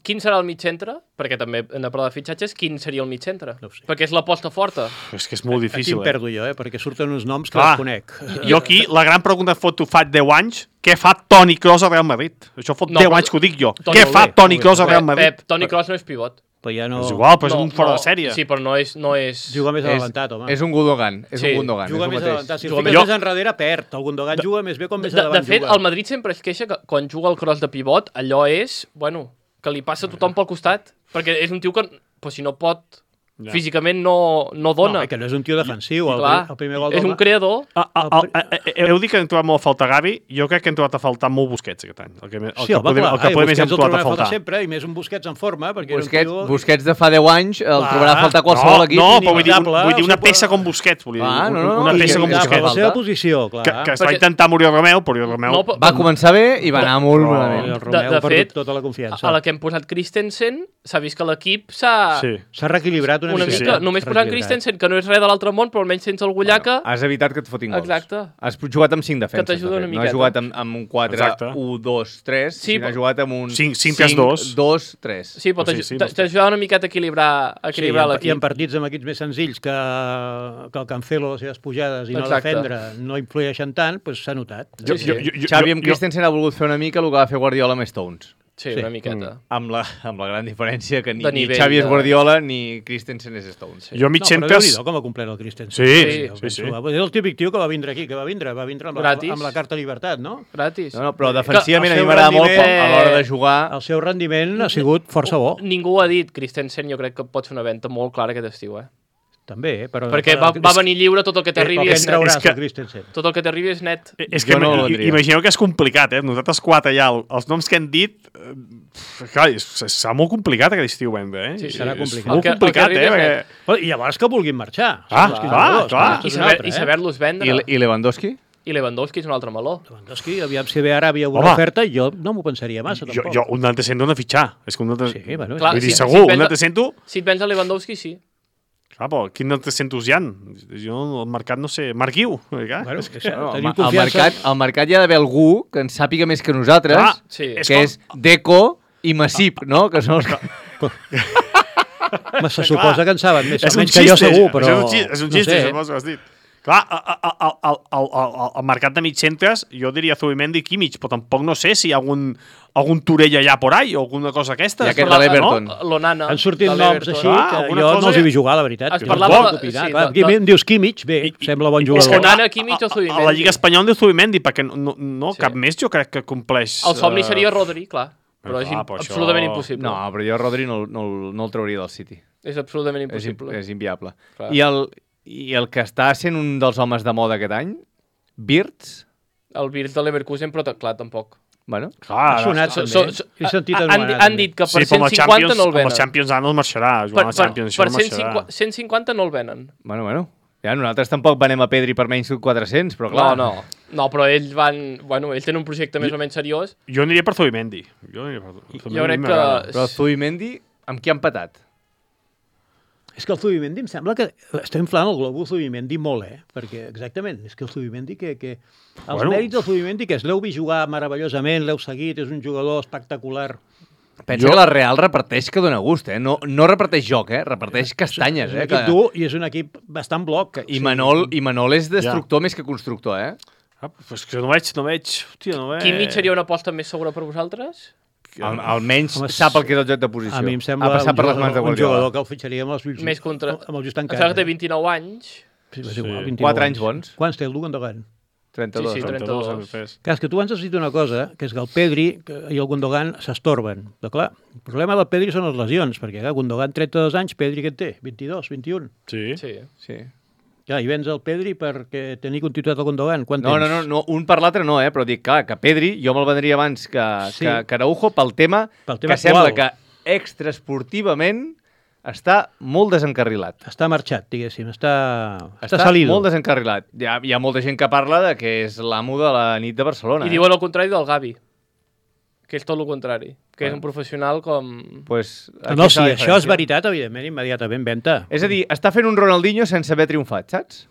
Quin serà el mig centre? Perquè també hem de parlar de fitxatges. Quin seria el mig centre? No ho sé. Perquè és l'aposta forta. És que és molt Aquí difícil, em eh? perdo jo, eh? Perquè surten uns noms que Clar. els conec. Jo aquí, la gran pregunta fot tu fa deu anys, què fa Toni Kroos al Real Madrid? Això fot No, deu però- anys que ho dic jo. Toni, Què molt fa bé, Toni molt Kroos al bé. Real Pep, Madrid? Pep, Toni Kroos no és pivot. Però ja no... És igual, però és un fora de sèrie. Sí, però no és... No és... Juga més És, adelantat, home. és un Gundogan, és Sí, un Gundogan. Juga és més el mateix. adelantat. Si el Juga fiques més- més enrere, perd. El Gundogan juga més bé com més De, endavant de fet, juga. el Madrid sempre es queixa que quan juga el cross de pivot, allò és, bueno, que li passa a tothom pel costat. Perquè és un tio que, pues, si no pot, Ja. físicament no, no dona. No, i que no és un tio defensiu. El, Clar, el primer gol és del un creador. Ah, ah, ah, ah, eh, heu dit que hem trobat molt a faltar Gavi, jo crec que hem trobat a faltar molt Busquets aquest any. El que, el Sí, que, home, podem, clar. el que Ai, poder més hem Busquets el trobat a trobem a faltar faltar. sempre, i més un Busquets en forma, perquè Busquets, era un tio... Busquets de fa deu anys el Clar. trobarà a faltar qualsevol no, equip. no, però vull dir, un, inimitable, vull dir una o sigui, peça com Busquets. Vull dir, Ah, no, no, una no, peça i- com i- Per Busquets. la seva falta. posició, clar. Que, que es va Perquè- intentar morir Romeu, però Romeu... No, però- Va començar bé i va anar molt Però- malament. El Romeu de ha perdut fet, tota la confiança. A la que hem posat Christensen, s'ha vist que l'equip s'ha... Sí. S'ha reequilibrat una, una mica. mica. Només posant Christensen, que no és res de l'altre món, però almenys tens el Gullaca... Has evitat que et fotin gols. Exacte. Has jugat amb cinc defenses. Que t'ajuda una no miqueta. has jugat amb, amb un quatre u dos tres, Sí, sinó però- has jugat amb un cinc cinc tres dos. dos tres. Sí, però Sí, t'aj- sí, t'a- t'ajuda una miqueta a equilibrar, a Sí, equilibrar i, en, I l'equip. en partits amb equips més senzills que, que el Cancelo, les seves pujades i no Exacte. defendre no influeixen tant, doncs s'ha notat. Sí, sí. Jo- jo- jo- Xavi amb jo- Christensen ha volgut fer una mica el que va fer Guardiola amb Stones. Sí, Sí. una miqueta. Amb la, amb la gran diferència que ni, De ni nivell Xavi és de- Guardiola ni Christensen és Stones. Jo mig No, però centes... Déu-n'hi-do com ha complert el Christensen. Sí, Sí, sí, penso, sí. va- És el típic tio que va vindre aquí, que va vindre, va vindre amb, la, Gratis. amb la carta llibertat, no? Gratis. No, no, però defensivament el a mi seu m'agrada molt rendiment- quan, a l'hora de jugar... El seu rendiment ha sigut força bo, Ningú ho ha dit. Christensen jo crec que pot fer una venda molt clara aquest estiu, eh? també, eh? però... Perquè però, va, va venir lliure, tot el que t'arribi Però què és en net. trauràs, és que- el Christensen? Tot el que t'arribi és net. És Jo que no no ho vendria. imagineu que és complicat, eh? Nosaltres quatre ja, el- els noms que hem dit... Eh, clar, és- serà molt complicat aquest estiu vendre, eh? Sí, serà És complicat. molt El que- el que complicat, arribi eh? és Perquè... net. Però, I llavors que vulguin marxar. Ah, Són els clar, jugadors, clar. això I, és un saber, altre, i eh? saber-los vendre. I, I Lewandowski? I Lewandowski és un altre meló. Lewandowski, aviam si ve ara havia una Home. oferta, jo no m'ho pensaria massa, Jo, tampoc. jo un altre cento de fitxar. És que un altre... Sí, bueno, Clar, Vull dir, si- segur, si un vens- altre cento... Si et vens a Lewandowski, sí. Clar, però quin altre centos hi ha? Jo, el mercat, no sé... Marquiu. Clar, Bueno, és que... que, No, tenim al, confiança... mercat, al mercat hi ha d'haver algú que en sàpiga més que nosaltres, Clar, Sí. és que com- és Deco i Masip, no? Que són els que... Home, se suposa que en saben més o És un menys que jo xiste, segur, però... és un xiste, és un xiste, no sé. suposo que has dit. Clar, al, al, al, al, al mercat de mig centres, jo diria Zubimendi i Kimmich, però tampoc no sé si hi ha algun, algun Turell allà por ahí o alguna cosa aquesta. I aquest Però- de l'Everton. no? L'Onana. Han sortit de noms l'Everton. així Ah, que alguna jo cosa- no els hi vull jugar, la veritat. Es que parlava no puc de- opinar. sí, Clar, de- aquí de- em dius Kimmich, bé, I- i- sembla bon és jugador. que Onana, Kimmich o Zubimendi. A la Lliga Espanyola diu Zubimendi, perquè no, no Sí. cap més jo crec que compleix... El somni eh, seria Rodri, clar. Però és clar, im- però això- absolutament impossible. No, però jo Rodri no, no, no el trauria del City. És absolutament És, im- impossible. és inviable. Clar. I el, I el que està sent un dels homes de moda aquest any, Wirtz, El Virts de Leverkusen, però t- clar, tampoc. bueno, Ha Clar, sonat So- també. so- so- He sentit han, anomenar, han també. dit que sí, per però amb cent els cinquanta Champions, no el amb venen. els Champions ara no el marxarà. Per, Jugant als per, Champions, per això no cent marxarà. cinquanta, cent cinquanta no el venen. bueno, bueno. Ja, nosaltres tampoc venem a Pedri per menys de quatre-cents, però clar... No, no. No, però ells van... Bueno, ells tenen un projecte més o menys seriós. Jo aniria per Zubimendi. Jo, aniria per... Zubimendi Jo crec m'agrada. que... Però Zubimendi, amb qui han patat? És que el Zubimendi em sembla que està inflant el globus Zubimendi molt, eh? Perquè, exactament, és que el Zubimendi que... que... Els Bueno. mèrits del Zubimendi, que és l'heu vist jugar meravellosament, l'heu seguit, és un jugador espectacular. Pensa Jo- que la Real reparteix que dona gust, eh? No, no reparteix joc, eh? Reparteix castanyes, És un eh? equip Que... dur i és un equip bastant bloc. I Manol, I Manol és destructor Ja. més que constructor, eh? Ah, pues que no veig, no veig... Hòstia, no veig... Kimmich seria una aposta més segura per vosaltres? Al, almenys Home, sap el que és el joc de posició. A mi em sembla ha passat un per les jugador, mans de un Guardiola. jugador que el fitxaria amb els ulls, Més contra... amb els ulls Em tancats. sembla que té eh? vint-i-nou anys. Sí, és igual, Sí. vint-i-nou Quatre anys bons. Quants té el Gundogan? trenta-dos. Sí, sí, trenta-dos trenta-dos. anys. Clar, és que tu ens has dit una cosa, que és que el Pedri que- i el Gundogan s'estorben. Però clar, el problema del Pedri són les lesions, perquè clar, Gundogan trenta-dos anys, Pedri què en té? vint-i-dos, vint-i-un. Sí. Sí. Sí. Ja, i vens el Pedri perquè tenir continuïtat al Gundogan. Quant No, no, temps? no, no, un per l'altre no, eh? Però dic, clar, que Pedri jo me'l vendria abans que, Sí. que, que Araujo pel tema, Pel tema que sembla actual. que extraesportivament està molt desencarrilat. Està marxat, diguéssim, està, està, Està salido. molt desencarrilat. Hi ha, hi ha molta gent que parla de que és l'amo de la nit de Barcelona. I eh? diuen el contrari del Gavi, que és tot el contrari, que és Bueno. un professional com... Pues, Ah, no, aquí si està la això és diferència. veritat, evidentment, immediatament venta. És a dir, està fent un Ronaldinho sense haver triomfat, saps?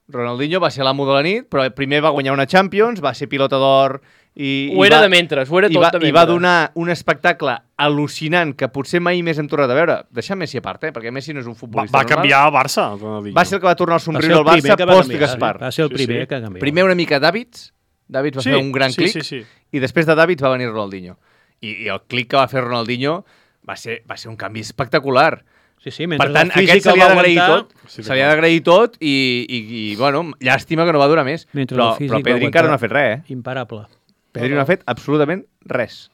Ronaldinho va ser l'amo de la nit, però primer va guanyar una Champions, va ser pilota d'or i... Ho i era va, de mentres, ho era i tot va, de mentres. I va donar un espectacle al·lucinant que potser mai més hem tornat a veure. Deixar Messi a part, eh? Perquè Messi no és un Va, futbolista va normal. canviar el Barça, el Ronaldinho. Va ser el que va tornar al Va somriure ser al el primer Barça que va post canviar, Gaspar. Va ser el Sí, primer sí. que canviava. Primer una mica Davids, Davids va Sí, fer un gran sí, clic, sí, sí. i després de Davids va venir Ronaldinho. I, i el clic que va fer Ronaldinho va ser, va ser un canvi espectacular. Sí, sí, mentre Per tant, el físic aquest se li el ha va d'agrair aguantar, tot, Sí, se li ha d'agrair tot i, i, i, bueno, llàstima que no va durar més. Mentre Però, el físic però va Pedri aguantar. encara no ha fet res, eh? Imparable. Pedri no ha fet absolutament res.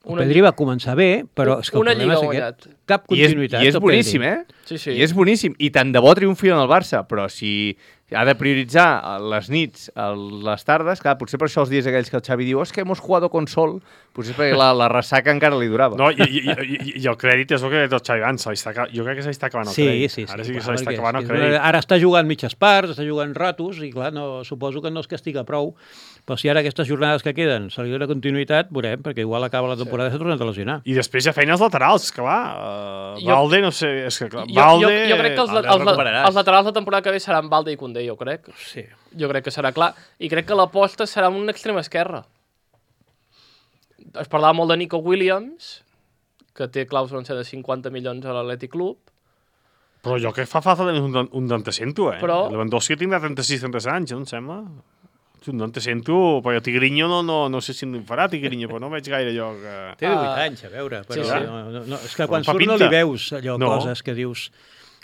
El Pedri va començar bé, però és que el Una problema és lliga aquest. Cap I és, continuïtat. i és del boníssim, Pedri. eh? Sí, sí. I és boníssim. I tant de bo triomfi en el Barça, però si, Ha de prioritzar les nits, les tardes, clar, potser per això els dies aquells que el Xavi diu és que hemos jugado con sol, potser perquè la, la ressaca encara li durava. No, i, i, i, i el crèdit és el que ha dit el Xavi abans, jo crec que se li està acabant el sí, crèdit. Sí, sí, Ara sí que clar, se li està acabant el és, crèdit. Ara està jugant mitges parts, està jugant ratos, i clar, no, suposo que no es castiga prou, però si ara aquestes jornades que queden se li dona continuïtat, veurem, perquè igual acaba la temporada i s'ha tornat a lesionar. I després hi ha feines laterals, que va, uh, Jo- Valde, no sé, és que clar, Jo, Valde... jo, jo crec que els, Valde, els, els, recuperaràs. els laterals de temporada que ve seran Valde i Koundé, jo crec. Sí. Jo crec que serà clar. I crec que l'aposta serà un extrem esquerre. Es parlava molt de Nico Williams, que té clàusula de cinquanta milions a l'Atlètic Club. Però jo crec que fa falta un, un d'antecento, eh? Però- Lewandowski tindrà trenta-sis trenta-set anys, no em sembla? Un d'antecento, però Tigrinho no, no, no sé si en farà Tigrinho, però no veig gaire jo que... Té divuit Ah. anys, a veure, però Sí, sí, sí. No, no, no, és que quan Fa surt no pinta. li veus allò, No. coses que dius...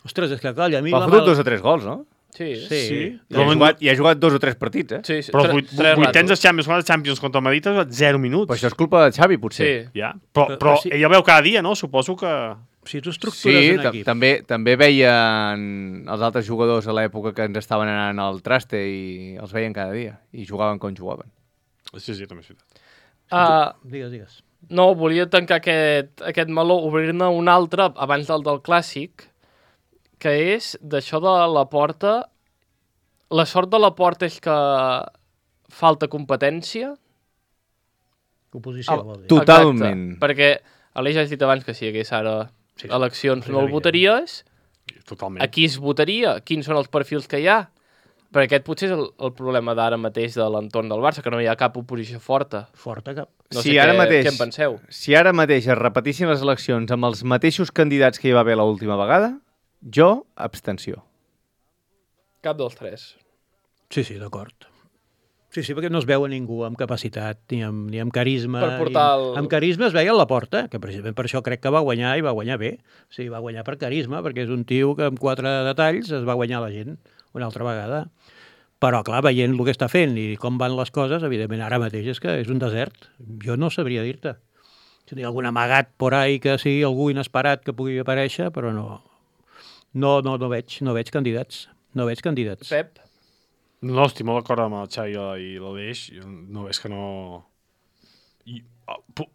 Ostres, és que clar, a mi... Ha la fotut mal- dos o tres gols, no? Sí. Sí. Sí. I ha, jugat, I ha jugat dos o tres partits, eh? sí, sí. Però Tre- vuit, tres vuitens de ratos. Champions, de Champions contra el Madrid ha jugat zero minuts. Però això és culpa de Xavi, potser. Sí. Ja. Però, Però- però però sí. ell el veu cada dia, no? Suposo que... Si tu Sí, estructures un ta- equip... també, també veien els altres jugadors a l'època que ens estaven anant al traste i els veien cada dia i jugaven com jugaven. Sí, sí, també és veritat. Uh, Digues, digues. no, volia tancar aquest, aquest meló, obrir-ne un altre abans del del clàssic, que és d'això de la porta. La sort de la porta és que falta competència. Oposició, Ah, vol dir. tu- Totalment. Exacte, perquè Aleix ja has dit abans que si hi hagués ara Sí, sí. eleccions Sí, no el evident. votaries. Totalment. A qui es votaria? Quins són els perfils que hi ha? Perquè aquest potser és el, el problema d'ara mateix de l'entorn del Barça, que no hi ha cap oposició forta. Forta cap. No Sí, sé ara què, mateix. què en penseu. Si ara mateix es repetissin les eleccions amb els mateixos candidats que hi va haver l'última vegada, jo, abstenció. Cap dels tres. Sí, sí, d'acord. Sí, sí, perquè no es veu a ningú amb capacitat, ni amb, ni amb carisma. Per portar ni amb, el- amb carisma es veia a la porta, que precisament per això crec que va guanyar i va guanyar bé. O sigui, va guanyar per carisma, perquè és un tio que amb quatre detalls es va guanyar la gent una altra vegada. Però, clar, veient el que està fent i com van les coses, evidentment, ara mateix és que és un desert. Jo no sabria dir-te. Si hi ha algun amagat por ahí que sigui algú inesperat que pugui aparèixer, però no. No, no, no veig, no veig candidats. No veig candidats. Pep? No, estic molt d'acord amb el Xavi i l'Aleix. No, és que no... I, oh, pu-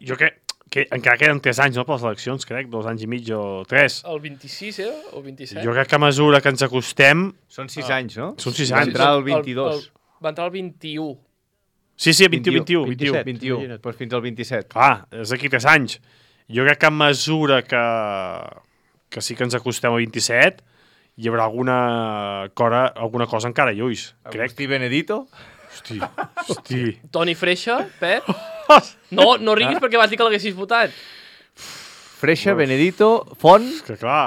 jo crec que encara queden tres anys, no, per les eleccions, crec, dos anys i mig o tres. El vint-i-sis, eh? O vint-i-set? Jo crec que a mesura que ens acostem... Són sis anys, no? Són sis Va anys. entrar el vint-i-dos. El, el, va entrar el vint-i-u. Sí, sí, vint-i-u, vint-i-u. vint-i-set. vint-i-u, imagina't. doncs fins al vint-i-set. Clar, és d'aquí tres anys. Jo crec que a mesura que, que sí que ens acostem al vint-i-set, hi haurà alguna cosa, alguna cosa encara a ulls. Crec. Agustí Benedito? Hosti, hosti. Toni Freixa, Pep? No, no riguis perquè vas dir que l'haguessis votat. Freixa, Benedito, Font, És que clar...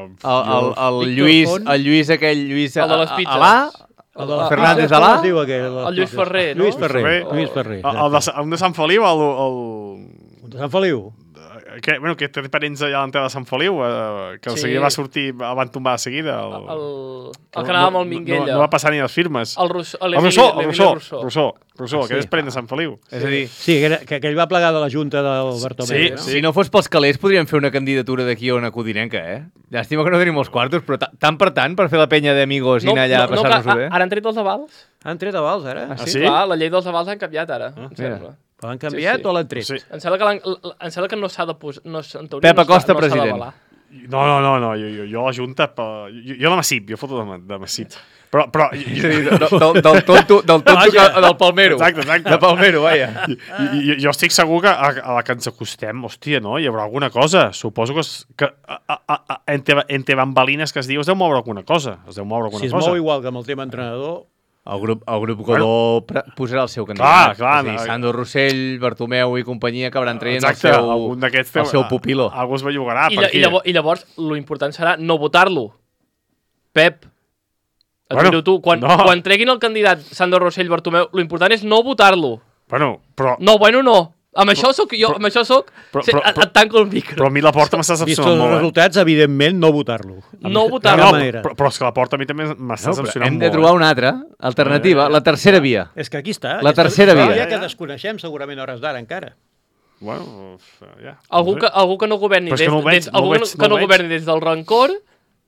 Uh, el, el, el, Víctor Lluís, Font. el Lluís aquell, Lluís El de les pizzas. Alà, El de les Fernández pizzas, com Alà? es diu aquell? El Lluís Ferrer, no? Lluís Ferrer. Ferrer. Lluís Ferrer. el, el, de, exacte. un de Sant Feliu, el... el, Un de Sant Feliu. que, bueno, que té parents allà a l'entrada de Sant Feliu, eh, que el Sí. seguida va sortir, el van tombar de seguida. El, El, el que anava amb el Minguella. No, no va passar ni les firmes. El, Rousseau, El l'Emili Rousseau, el l'Emili Rousseau, Rousseau. Rousseau, Rousseau, Ah, que sí. és parent de Sant Feliu. és a dir, Sí, que, era, que aquell va plegar de la junta del Bartomeu. Sí, no? sí. si no fos pels calés podríem fer una candidatura d'aquí a una codinenca, eh? Llàstima que no tenim els quartos, però ta- tant per tant per fer la penya d'amigos i anar allà a passar-nos-ho que bé. Ara han tret els avals? Han tret avals, ara? Ah, Ah, sí? Clar, la llei dels avals han canviat ara, em mira. sembla. Però l'han canviat Sí, sí. o l'han tret? Sí. Em sembla que, l'han- l- em sembla que no s'ha de posar... No, s- en teoria Pep no s'ha- Acosta, no s'ha president. d'avalar. No, no, no, no, jo, jo, jo la Junta, per- jo, jo de Massip, jo foto de, Ma- de Massip. Però, però... És a dir, del, del, del tonto, del, tonto Vaja. que, del Palmero. Exacte, exacte. De Palmero, vaja. I, i, jo estic segur que a, a la que ens acostem, hòstia, no? Hi haurà alguna cosa. Suposo que, es, que a, a, a, entre, entre bambalines que es diu es deu moure alguna cosa. Es deu moure alguna Si es cosa. mou igual que amb el tema entrenador, El grup, el grup Godó bueno, posarà el seu Clar, candidat. clar, És a dir, no. Sandro Rossell, Bartomeu i companyia acabaran traient Exacte, el seu, algun d'aquests el seu pupilo. Algú es bellugarà I, per lla- aquí. i, llavors, I llavors, lo important serà no votar-lo. Pep, et Bueno, miro tu. Quan, no. quan treguin el candidat Sandro Rossell Bartomeu, lo important és no votar-lo. Bueno, però, No, bueno, no. Amb això soc jo, amb això soc... però- Sí, però- et, et tanco el micro. però a mi la porta m'està vist decepcionant els molt, eh? resultats, evidentment, no votar-lo. No No, votar-lo. no, manera. però, però és que la porta a mi també m'està No, però decepcionant hem molt. de trobar eh? una altra alternativa, la tercera via. És que aquí està. La aquesta- tercera ja, via. Ja que desconeixem segurament a hores d'ara encara. Bueno, ja. Algú no que, sé. algú que no governi Però és que des, no ho veig, des, no ho algú veig, que no ho no veig. governi des del rancor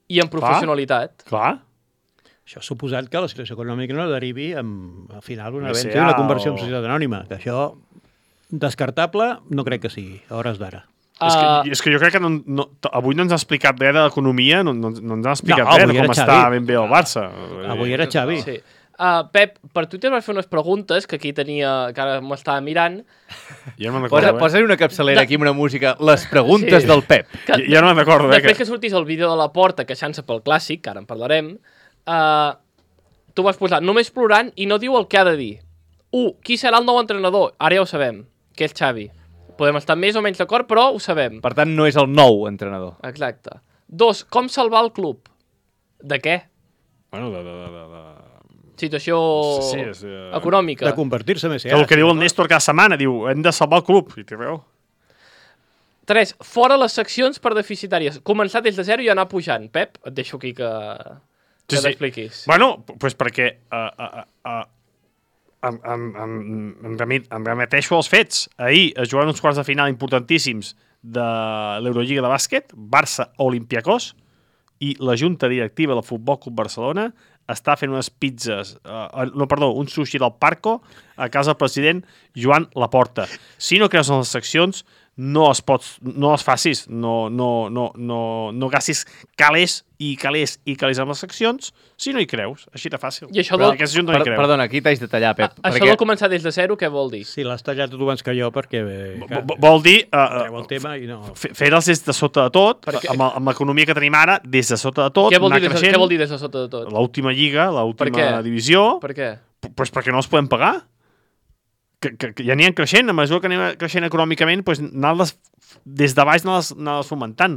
i amb professionalitat. Clar. Això ha suposat que la situació econòmica no derivi en, al final, una B C A venda i una conversió en o- societat anònima, que això, descartable, no crec que sigui, a hores d'ara. És, Uh, que, és que jo crec que no, no, t- avui no ens ha explicat res de l'economia, no, no, no ens ha explicat No, res de avui com era està Xavi. ben bé el Barça. Avui era Xavi. Sí. Uh, Pep, per Twitter vas fer unes preguntes que aquí tenia, que ara m'estava mirant. Ja no me'n Posa, recordo, eh? posa-li una capçalera aquí amb una música. Les preguntes Sí. del Pep. Que, Ja, ja no me'n recordo, eh? Després Que... que sortís el vídeo de la Porta queixant-se pel clàssic, que ara en parlarem, uh, tu vas posar només plorant i no diu el que ha de dir. Un, qui serà el nou entrenador? Ara ja ho sabem, que és Xavi. Podem estar més o menys d'acord, però ho sabem. Per tant, no és el nou entrenador. Exacte. Dos, com salvar el club? De què? Bueno, de... de, de, de, de... Situació Sí, és, eh, econòmica. De convertir-se més. Que el que diu el Néstor cada setmana, diu, hem de salvar el club. I té raó. Tres, fora les seccions per deficitàries. Començar des de zero i anar pujant. Pep, et deixo aquí que, que t'expliquis. Bueno, doncs perquè uh, uh, uh, em, em, em, em, remit, em remeteixo als fets. Ahir es jugaven uns quarts de final importantíssims de l'Eurolliga de bàsquet, Barça-Olimpiakos, i la junta directiva del Futbol Club Barcelona està fent unes pizzas, uh, no, perdó, un sushi del Parco a casa del president Joan Laporta. Si no creus en les seccions, no es pots, no les facis, no, no, no, no, no gastis calés i calés i calés amb les seccions si no hi creus, així de fàcil. I això Però del- aquesta gent no hi Per, creu. perdona, aquí t'haig de tallar, Pep. A, això perquè... de començar des de zero, què vol dir? Si l'has tallat tu abans que jo, perquè... Eh, Vo- vo- Vol dir uh, treu el tema i no... fe- fer-los des de sota de tot, Perquè- amb, el- amb l'economia que tenim ara, des de sota de tot, Què vol, anar dir des, de- creixent. què vol dir des de sota de tot? L'última lliga, Per l'última què? divisió, Per què? p- pues perquè no els podem pagar. Que, que, que ja aniran creixent, a mesura que anem creixent econòmicament, pues, anar-les des de baix anar-les anar fomentant.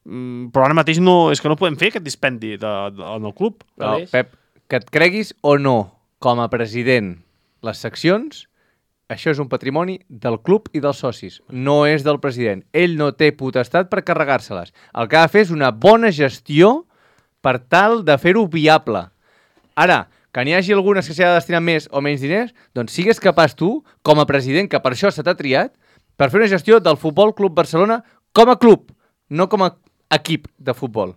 Mm, però ara mateix no, és que no podem fer aquest dispendi de, de, en el club. No, Aleix? Pep, que et creguis o no, com a president, les seccions, això és un patrimoni del club i dels socis. No és del president. Ell no té potestat per carregar-se-les. El que ha de fer és una bona gestió per tal de fer-ho viable. Ara, que n'hi hagi algunes que s'hi ha de destinar més o menys diners, doncs sigues capaç tu, com a president, que per això se t'ha triat, per fer una gestió del Futbol Club Barcelona com a club, no com a equip de futbol.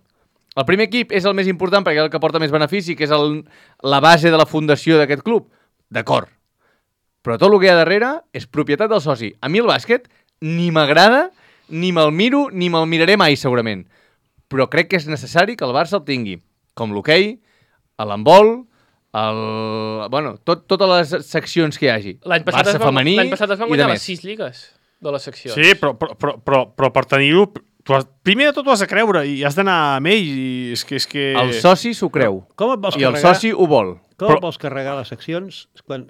El primer equip és el més important perquè és el que porta més benefici, que és el, la base de la fundació d'aquest club. D'acord. Però tot el que hi ha darrere és propietat del soci. A mi el bàsquet ni m'agrada, ni me'l miro, ni me'l miraré mai, segurament. Però crec que és necessari que el Barça el tingui. Com l'hoquei, l'handbol, el... bueno, tot, totes les seccions que hi hagi. L'any passat, Barça es van, femení l'any passat es van i de guanyar les més. sis lligues de les seccions. Sí, però, però, però, però, però per tenir-ho, tu has, primer de tot ho has de creure i has d'anar amb ell. I és que, és que... El soci s'ho creu. Com et vols I el carregar, soci ho vol. com però- et vols carregar les seccions quan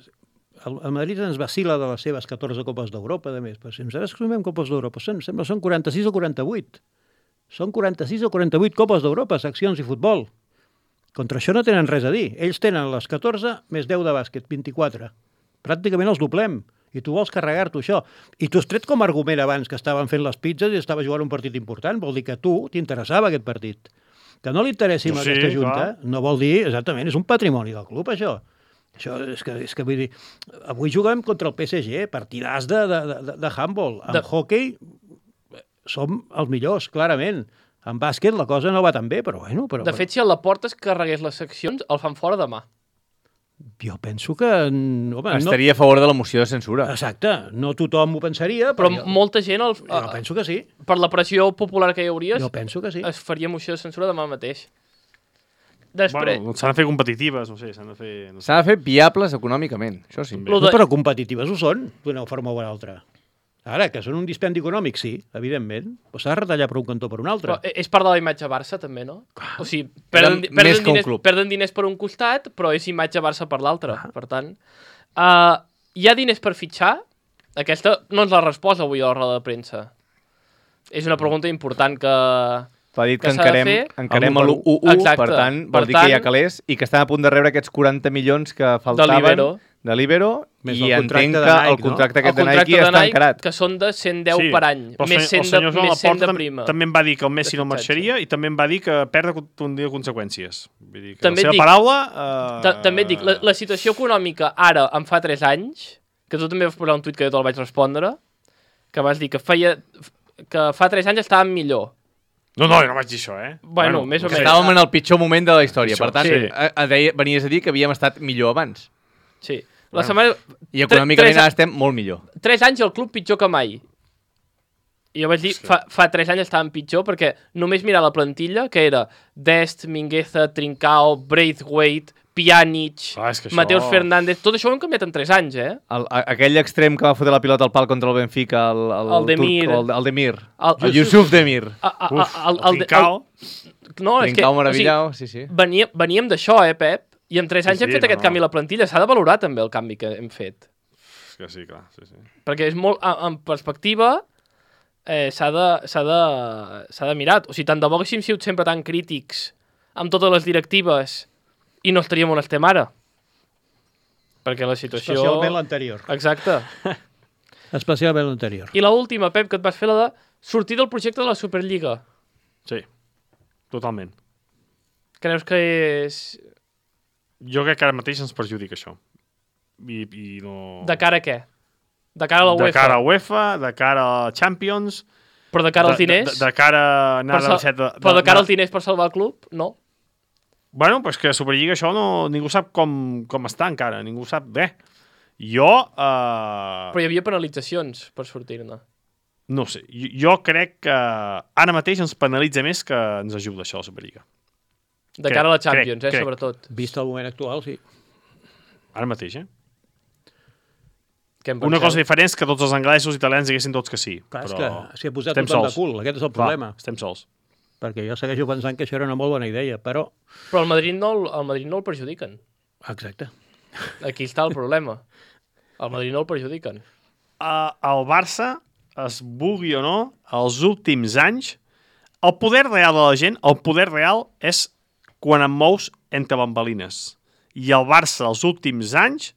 el, el Madrid ens vacila de les seves catorze Copes d'Europa, de més. Però si nosaltres sumem Copes d'Europa, són, sembla són quaranta-sis o quaranta-vuit. Són quaranta-sis o quaranta-vuit Copes d'Europa, seccions i futbol. Contra això no tenen res a dir. Ells tenen les catorze més deu de bàsquet, vint-i-quatre. Pràcticament els doblem. I tu vols carregar-t'ho això. I tu has tret com a argument abans que estaven fent les pizzas i estava jugant un partit important. Vol dir que a tu t'interessava aquest partit. Que no li interessi Sí, a aquesta junta, clar. no vol dir, exactament, és un patrimoni del club, això. Això és que, és que vull dir, avui juguem contra el P S G, partidars de, de, de, de handball. En De- hockey som els millors, clarament. En bàsquet la cosa no va tan bé, però bueno... Però, De fet, si a la porta es carregués les seccions, el fan fora demà. jo penso que... mm, Home, Estaria a favor de la moció de censura. no, exacte, no tothom ho pensaria, Però però, jo, molta gent, el, jo penso que sí. per la pressió popular que hi hauria, Jo penso que sí. es faria moció de censura demà mateix. Després, Bueno, s'han de fer competitives, no sé, s'han de fer... No sé. S'ha de fer viables econòmicament, això sí. Lo No, de- però competitives ho són, d'una forma o una altra. Ara, que són un dispendi econòmic, sí, evidentment, però s'ha de retallar per un cantó per un altre. però és part de la imatge Barça, també, no? O sigui, Era perden, més perden, que un diners, club. perden diners per un costat, però és imatge Barça per l'altre. Per tant, uh, hi ha diners per fitxar? Aquesta no ens la resposta avui a la roda de premsa. És una pregunta important que... Va dit que, que s'ha de encarem, fer encarem el a u l'u u, Exacte. per tant, Per vol dir que hi ha tant- calés i que estan a punt de rebre aquests quaranta milions que faltaven l'Ibero. de l'Ibero Més i el contracte entenc de que Nike, el contracte El aquest de contracte Nike de està Nike, encarat. que són de cent deu per any, però el més senyor- cent el de, senyor Joan més cent Laporta de tam- prima. També em va dir que el Messi no De fitxatge. marxaria i també em va dir que perdre tindria conseqüències. Vull dir que També la seva et dic- paraula... Eh, Ta- També et dic, la, la situació econòmica ara, en fa tres anys, que tu també vas posar un tuit que jo te'l vaig respondre, que vas dir que feia que fa tres anys estàvem millor. No, no, jo no vaig dir això, eh? Bueno, més o menys. Estàvem en el pitjor moment de la història. Pitjor, Per tant, sí. a, a deia, venies a dir que havíem estat millor abans. Sí. La setmana... I econòmicament Tres- ara estem molt millor. Tres anys el club pitjor que mai. I jo vaig dir, fa, fa tres anys estàvem pitjor perquè només mirar la plantilla, que era Dest, Mingueza, Trincao, Braithwaite, Pjanic, Clar, és que això- Mateus Fernández... Tot això ho hem canviat en tres anys, eh? El, a, aquell extrem que va fotre la pilota al pal contra el Benfica, el, el, El Demir. turc, el, el Demir. El- El, Yusuf Demir. A, a, Uf, a, el, el, Trincao. el, no, és que... Trincao meravillao, sí, sí. Veníem, veníem d'això, eh, Pep? I en tres anys Sí, hem sí, fet no, aquest no. canvi a la plantilla. S'ha de valorar també el canvi que hem fet. És que sí, clar, sí, sí. Perquè és molt... En perspectiva, eh, s'ha de, s'ha de, s'ha de mirar. O sigui, tant de bo haguéssim sigut sempre tan crítics amb totes les directives i no estaríem on estem ara. Perquè la situació... Especialment l'anterior. Exacte. Especialment l'anterior. I l'última, Pep, que et vas fer la de sortir del projecte de la Superliga. Sí, totalment. Creus que és... Jo crec que ara mateix ens perjudica això. I, i no... De cara a què? De cara a la De UEFA? cara a UEFA, de cara a Champions... Però de cara als diners? De, de, de cara a anar Per de, sal- de, de, Però de cara anar- als diners per salvar el club? No. Bueno, pues que a Superliga això no, ningú sap com, com està encara, ningú sap bé. Jo... Uh, Però hi havia penalitzacions per sortir-ne. no sé, jo, jo crec que ara mateix ens penalitza més que ens ajuda això, la Superliga. De Crec, cara a la Champions, crec, eh, crec. sobretot. Vist el moment actual, sí. Ara mateix, eh? Què en Una penseu? cosa diferent és que tots els anglesos i italians diguessin tots que sí. Clar, és però que s'hi ha posat estem tothom de sols. cul, aquest és el Clar, problema. estem sols. Perquè jo segueixo pensant que això era una molt bona idea, però... Però el Madrid no, el, el Madrid no el perjudiquen. Exacte. Aquí està el problema. El Madrid no el perjudiquen. Uh, el Barça, es vulgui o no, els últims anys, el poder real de la gent, el poder real és quan em mous entre bambalines. I el Barça, els últims anys,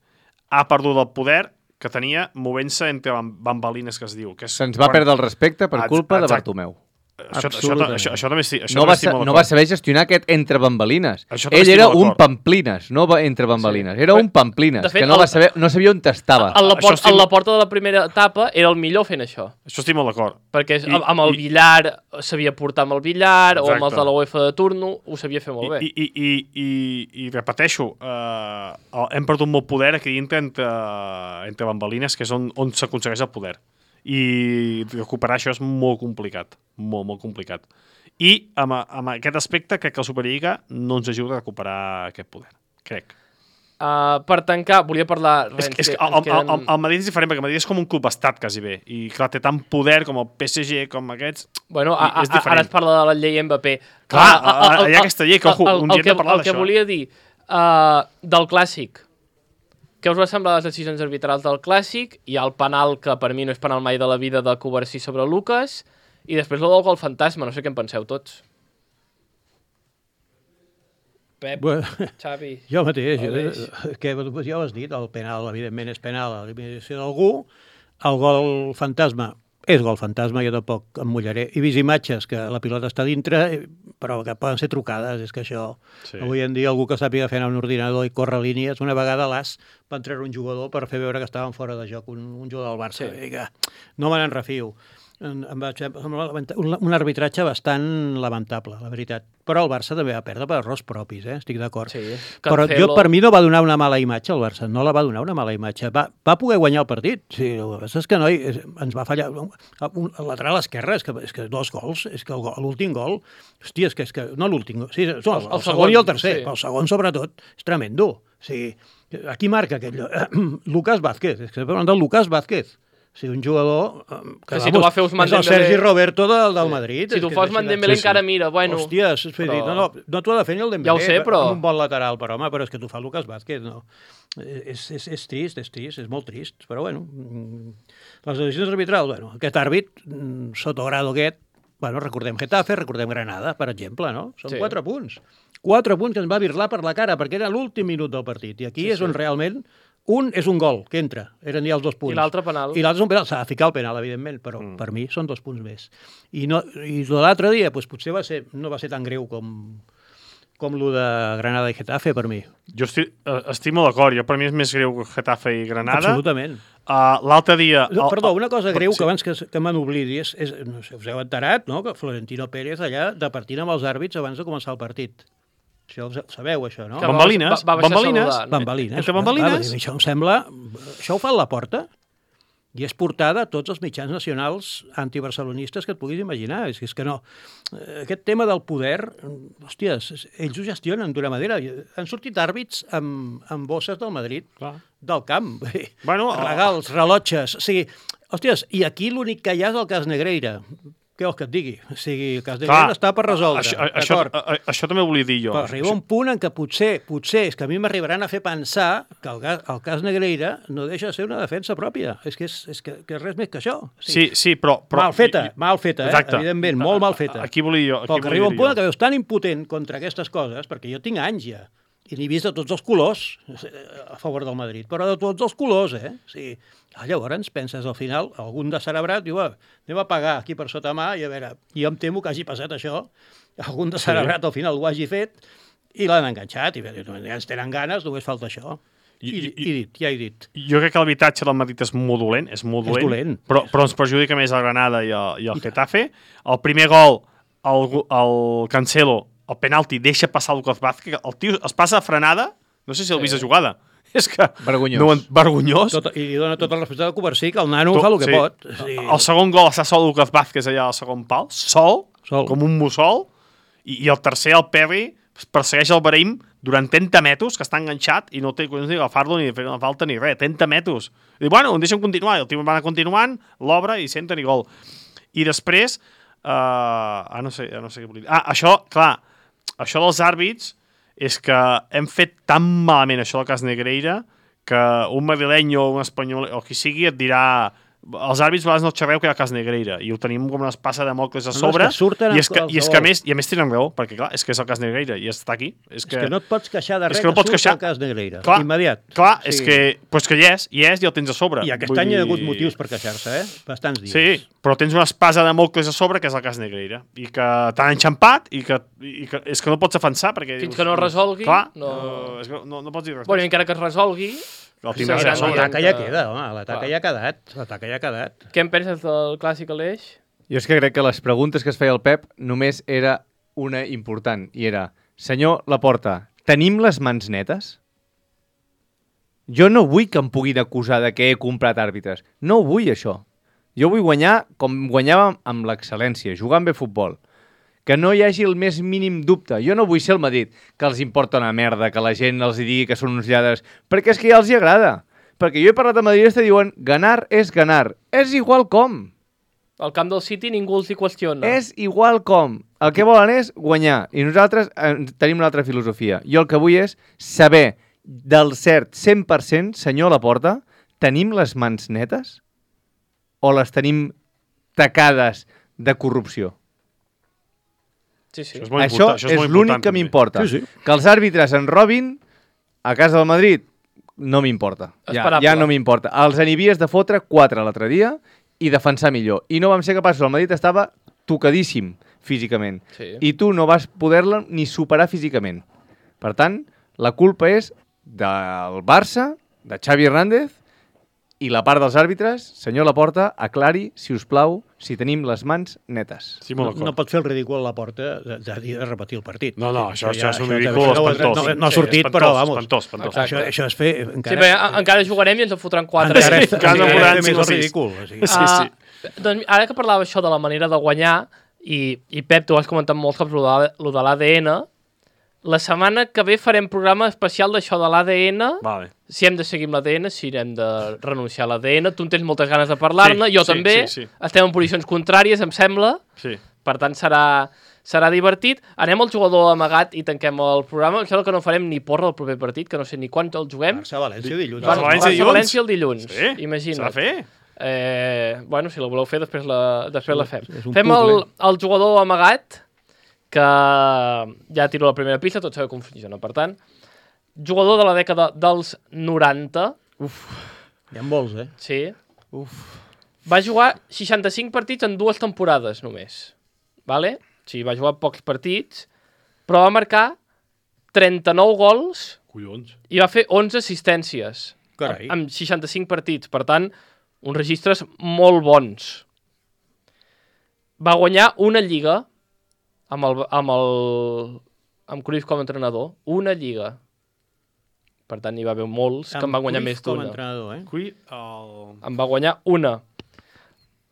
ha perdut el poder que tenia movent-se entre bam- bambalines, que es diu. Que és Se'ns va quan- perdre el respecte per Ex- culpa de exacte. Bartomeu. Això, això, Absolutament. això, això també estic, això No també va, estic sa- molt no va d'acord. saber gestionar aquest entre bambalines. Això també Ell estic era molt un d'acord. pamplines, no va entre bambalines. Era un pamplines, De fet, que no, el- va saber, no sabia on estava. A la, Això port, estic- a la porta de la primera etapa era el millor fent això. Això estic molt d'acord. Perquè és, I- amb, amb el i- billar sabia portar amb el billar o amb els Exacte. de la UEFA de turno, ho sabia fer molt bé. I, i, i, i, i repeteixo, eh, hem perdut molt poder aquí dintre entre, entre bambalines, que és on, on s'aconsegueix el poder. I recuperar això és molt complicat. Molt, molt complicat. I amb, amb aquest aspecte crec que la Superliga no ens ajuda a recuperar aquest poder. Crec. Uh, per tancar, volia parlar... És, ens és que que- el, ens el, el, el Madrid és diferent, perquè el Madrid és com un club estat, quasi bé. I clar, té tant poder com el P S G, com aquests... Bueno, a, I és a, diferent. ara es parla de la llei Mbappé. Clar, ara hi ha aquesta llei, que, ojo, el, un dia el, hem de que, parlar el que d'això, eh? volia dir uh, del Clàssic. Què us va semblar les decisions arbitrals del Clàssic? Hi ha el penal, que per mi no és penal mai de la vida, de Covarsí sobre Lucas, i després el del gol fantasma, no sé què en penseu tots. Pep, Bueno, Xavi... jo mateix, Aleix. jo, que ja ho has dit, el penal, evidentment, és penal a l'eliminació d'algú, el gol fantasma és gol fantasma, jo tampoc em mullaré. He vist imatges que la pilota està dintre, però que poden ser trucades, és que això... Sí. Avui en dia algú que sàpiga fer anar un ordinador i córrer línies, una vegada a l'as van treure un jugador per fer veure que estaven fora de joc, un, un jugador del Barça. Sí. I que no me n'en refio. Em, em va semblar un, un arbitratge bastant lamentable, la veritat. Però el Barça també va perdre per errors propis, eh? Estic d'acord. Sí, Però Cancelo. jo, per mi no va donar una mala imatge el Barça, no la va donar una mala imatge. Va, va poder guanyar el partit. Sí, el que passa és que noi, és- ens va fallar. Un, el lateral esquerre, és que, és que dos gols, és que el gol- l'últim gol, hòstia, és que, és que no l'últim gol, sí, no, el, el, el, segon i el tercer, sí. sí. El segon sobretot, és tremendo. O sigui, aquí marca aquell... Lucas Vázquez, és que parlant del Lucas Vázquez. O sigui, un jugador... eh, Que si tu va fer Ousmane és el Dembélé- Sergi Roberto del, del Madrid. Si és tu que fos és així de- Dembélé sí, sí. encara mira, bueno... Hòstia, és, però... però- no, no, no t'ho ha de fer ni el Dembélé. Ja ho sé, però- amb un bon lateral, però home, però és que tu fa Lucas Vázquez, no. És, és, és trist, és trist, és molt trist, però bueno, mm, les decisions arbitrals, bueno, aquest àrbit, mm, Sotogrado aquest, bueno, recordem Getafe, recordem Granada, per exemple, no? Són Sí. quatre punts. Quatre punts que ens va virlar per la cara, perquè era l'últim minut del partit, i aquí Sí, és on sí. realment un és un gol, que entra, eren ja els dos punts. I l'altre penal. I l'altre és un penal, s'ha de ficar el penal, evidentment, però mm. per mi són dos punts més. I, no, i l'altre dia, doncs, potser va ser, no va ser tan greu com, com lo de Granada i Getafe, per mi. Jo estic, estic molt d'acord. Jo, per mi és més greu que Getafe i Granada. Absolutament. Uh, L'altre dia... No, perdó, una cosa greu sí. que abans que, que me n'oblidi és, és, no sé, us heu enterat, no?, que Florentino Pérez allà departint amb els àrbits abans de començar el partit. Això ho sabeu, això, no? Que va- Bambalines, va- va baixar bambalines. saludant. Bambalines. Entre bambalines. Va, això em sembla... Això ho fa a la porta i és portada a tots els mitjans nacionals antibarcelonistes que et puguis imaginar. És, és que no... Aquest tema del poder, hòsties, ells ho gestionen d'una manera. Han sortit àrbits amb, amb bosses del Madrid, Clar. del camp. Bueno, regals, rellotges... O sigui, hòsties, i aquí l'únic que hi ha és el cas Negreira. Què vols que et digui? O sigui, el cas Negreira està per resoldre. Això, això, a, això també ho volia dir jo. Però arriba un punt en què potser, potser, és que a mi m'arribaran a fer pensar que el, el cas Negreira no deixa de ser una defensa pròpia. És que és, és que, que res més que això. O sigui, Sí, sí, però... però mal feta, mal feta, eh? Exacte. Evidentment, molt mal feta. Aquí volia jo. Aquí Però que volia arriba un dir punt jo. en què veus tan impotent contra aquestes coses, perquè jo tinc anys ja, i n'he vist de tots els colors a favor del Madrid, però de tots els colors, eh? O sigui, llavors penses al final, algun de cerebrat diu, va, anem a pagar aquí per sota mà, i a veure, jo em temo que hagi passat això, algun de cerebrat al final ho hagi fet, i l'han enganxat, i bé, ja ens tenen ganes, només falta això. I, I, i dit, ja he dit. Jo crec que l'habitatge del Madrid és molt dolent, és molt dolent, És dolent. Però, però ens perjudica més el Granada i el, i el Getafe. El primer gol, el, el Cancelo, el penalti, deixa passar Lucas Vázquez, el tio es passa a frenada, no sé si l'heu vist a jugada, és que... Vergonyós. No, vergonyós. Tot, I li dona tot el respecte del Coversí, que el nano fa el que sí. pot. Sí. El segon gol està sol Lucas Vázquez allà al segon pal, sol, Sol. com un mussol, i, i el tercer, el Perry, persegueix el Brahim durant trenta metres, que està enganxat, i no té collons ni agafar-lo ni fer una falta ni res, trenta metres. I diu, bueno, em deixen continuar, i el tio va anar continuant, l'obre i senten i gol. I després, uh, ah, no sé, no sé què volia dir. Ah, això, clar, això dels àrbits és que hem fet tan malament això del cas Negreira que un madrileny o un espanyol o qui sigui et dirà els àrbits a vegades no xerreu que hi ha cas Negreira i ho tenim com una espasa de mocles a No, sobre és que surten i, és que, els i és que a gols. més, i a més tenen raó, perquè clar, és que és el cas Negreira i està aquí. És que, És que no et pots queixar de és res que no que, pots surt queixar. el cas Negreira. Clar, Immediat. Clar, Sí. és que, pues que hi és, hi és i el tens a sobre. I aquest Vull any hi ha dir- hagut motius per queixar-se, eh? Bastants dies. Sí, però tens una espasa de mocles a sobre que és el cas Negreira i que t'han enxampat i que, i que és que no pots defensar perquè Fins dius, que no es resolgui, clar, no- no, és que no, no pots dir res. Bueno, i encara que es resolgui, el sí, tindràs sí, a sí, sobre. L'ataca que- ja queda, home, l'ataca Clar. ja ha quedat. L'ataca ja ha quedat. què en penses del clàssic Aleix? Jo és que crec que les preguntes que es feia el Pep només era una important, i era, senyor Laporta, tenim les mans netes? Jo no vull que em puguin acusar de que he comprat àrbitres. No ho vull, això. Jo vull guanyar com guanyàvem amb l'excel·lència, jugant bé a futbol. Que no hi hagi el més mínim dubte. Jo no vull ser el Madrid, que els importa una merda, que la gent els digui que són uns lladres, perquè és que ja els hi agrada. Perquè jo he parlat de madridista i diuen ganar és ganar. És igual com. Al camp del City ningú els hi qüestiona. És igual com. El que volen és guanyar. I nosaltres eh, tenim una altra filosofia. Jo el que vull és saber del cert cent per cent, senyor Laporta, tenim les mans netes o les tenim tacades de corrupció? Sí, sí. Això és molt Això important, això és, és molt l'únic important, que també. m'importa. Sí, sí. Que els àrbitres en robin a casa del Madrid no m'importa. Ja, Esperable. ja no m'importa. Els anivies de fotre quatre l'altre dia i defensar millor. I no vam ser capaços. El Madrid estava tocadíssim físicament. Sí. I tu no vas poder-la ni superar físicament. Per tant, la culpa és del Barça, de Xavi Hernández, i la part dels àrbitres, senyor Laporta, aclari, si us plau, si tenim les mans netes. Sí, No, molt d'acord. no pot fer el ridícul a la porta de, de, de repetir el partit. No, no, això, això, ja- és un ja- ridícul això no- espantós. No, no ha Sí, sortit, espantós, però, vamos. espantós, espantós. Això, això és fer... Sí, Encara, bé, a- encara jugarem i ens en fotran quatre. encara, Sí, és- encara encara en és faran fer cinc més o el sis. ridícul. O sigui. Sí, sí. Uh, doncs ara que parlava això de la manera de guanyar, i, i Pep, tu has comentat molts cops lo de, lo de l'A D N, la setmana que ve farem programa especial d'això de l'A D N, Vale. si hem de seguir amb l'A D N, si hem de renunciar a l'A D N, tu en tens moltes ganes de parlar-ne, Sí, jo sí, també, sí, sí. estem en posicions contràries, em sembla, Sí. per tant serà, serà divertit. Anem al jugador amagat i tanquem el programa, em sembla que no farem ni porra del proper partit, que no sé ni quan el juguem. Barça-València dilluns. Barça- València Barça- dilluns. València el dilluns, Sí, imagina't. s'ha de fer. Eh, bueno, si la voleu fer, després la, després la fem. és un Fem el, puzzle. el jugador amagat, que ja tiro la primera pista, tots sabeu com funciona. Per tant, jugador de la dècada dels noranta, Hi ha molts, eh? sí, va jugar seixanta-cinc partits en dues temporades només. Vale? Sí, va jugar pocs partits, però va marcar trenta-nou gols Collons. i va fer onze assistències. Carai. Amb seixanta-cinc partits. Per tant, uns registres molt bons. Va guanyar una lliga amb el, amb el amb Cruyff com a entrenador. Una lliga. Per tant, hi va haver molts que en van guanyar més d'una. Eh? Cui, el... En va guanyar una.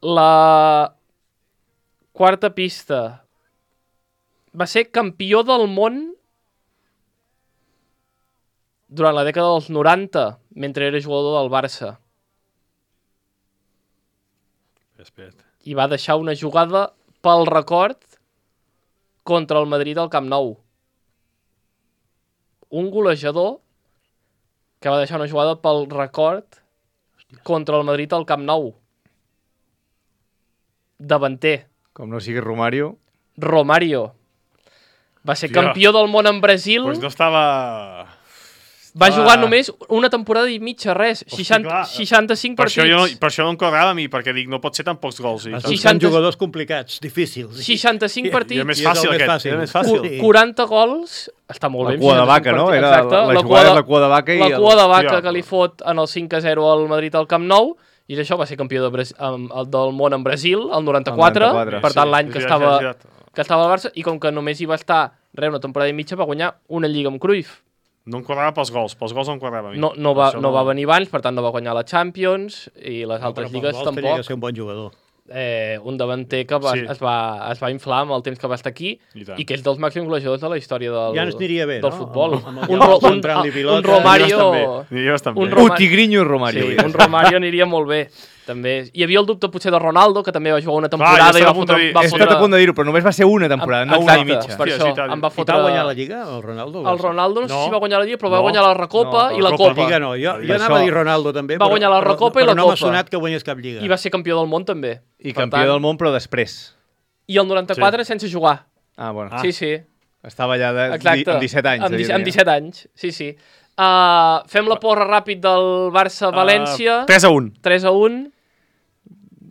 La quarta pista. Va ser campió del món durant la dècada dels noranta, mentre era jugador del Barça. Espera't. I va deixar una jugada pel record contra el Madrid al Camp Nou. Un golejador que va deixar una jugada pel record contra el Madrid al Camp Nou. Davanter. Com no sigui Romario. Romario. Va ser Hòstia. campió del món en Brasil. Pues no estava... Va Ah. jugar només una temporada i mitja, res. Hosti, seixanta, clar. seixanta-cinc Per partits. això, jo, per això no em quadrava a mi, perquè dic, no pot ser tan pocs gols. I Estan tant. seixanta- jugadors complicats, difícils. seixanta-cinc I- partits. I és més I és el fàcil més aquest. fàcil. Era més fàcil. Sí. quaranta gols. Està molt La bé. cua de seixanta-cinc vaca, no? partits. Era Exacte. la, la La jugada cua de la cua de vaca i... La el- cua de vaca Hòstia. que li fot en el cinc a zero al Madrid al Camp Nou, i això va ser campió de Bras... amb- el del món en Brasil, el noranta-quatre, El noranta-quatre. per tant Sí, l'any és que, veritat, estava, és veritat. que estava al Barça, i com que només hi va estar res, una temporada i mitja, va guanyar una lliga amb Cruyff. No em quadrava pels gols, pels gols no em quadrava a mi. No, no, va, Això no va venir abans, per tant no va guanyar la Champions, i les No, altres però lligues pels gols tenia tampoc. que ser un bon jugador. Eh, un davanter que va, Sí. es, va, es va inflar amb el temps que va estar aquí, I tant. i que és dels màxims golejadors de la història del, Ja ens aniria bé, del no? futbol. Amb- amb el un, Llop ro, un, centrant-li un, pilota. un Romario... Aniria bastant bé. un Un Roma- Un tigrinyo Romario. Sí, ja. un Romario aniria molt bé. També. Hi havia el dubte potser de Ronaldo, que també va jugar una temporada jo i estava va a punt de fotre... dir- Va He fotre... estat a punt de dir-ho, però només va ser una temporada, no una i mitja. Per Hòstia, això, sí, tant. em va I fotre... va guanyar la Lliga, el Ronaldo? El Ronaldo no, sé No. si va guanyar la Lliga, però va No. guanyar la Recopa No, i la la Copa. La Lliga no, jo, jo Per anava a això. dir Ronaldo també, Va però, guanyar la però- Recopa i però la no m'ha Copa. sonat que guanyés cap Lliga. I va ser campió del món també. I Per campió tant- del món, però després. I el noranta-quatre sense jugar. Ah, bueno. Ah. Sí, sí. Estava allà de, Exacte. amb disset anys. Amb, de disset, dir-ne. amb disset anys, sí, sí. Uh, fem la porra ràpid del Barça-València. Uh, tres a un. tres a un,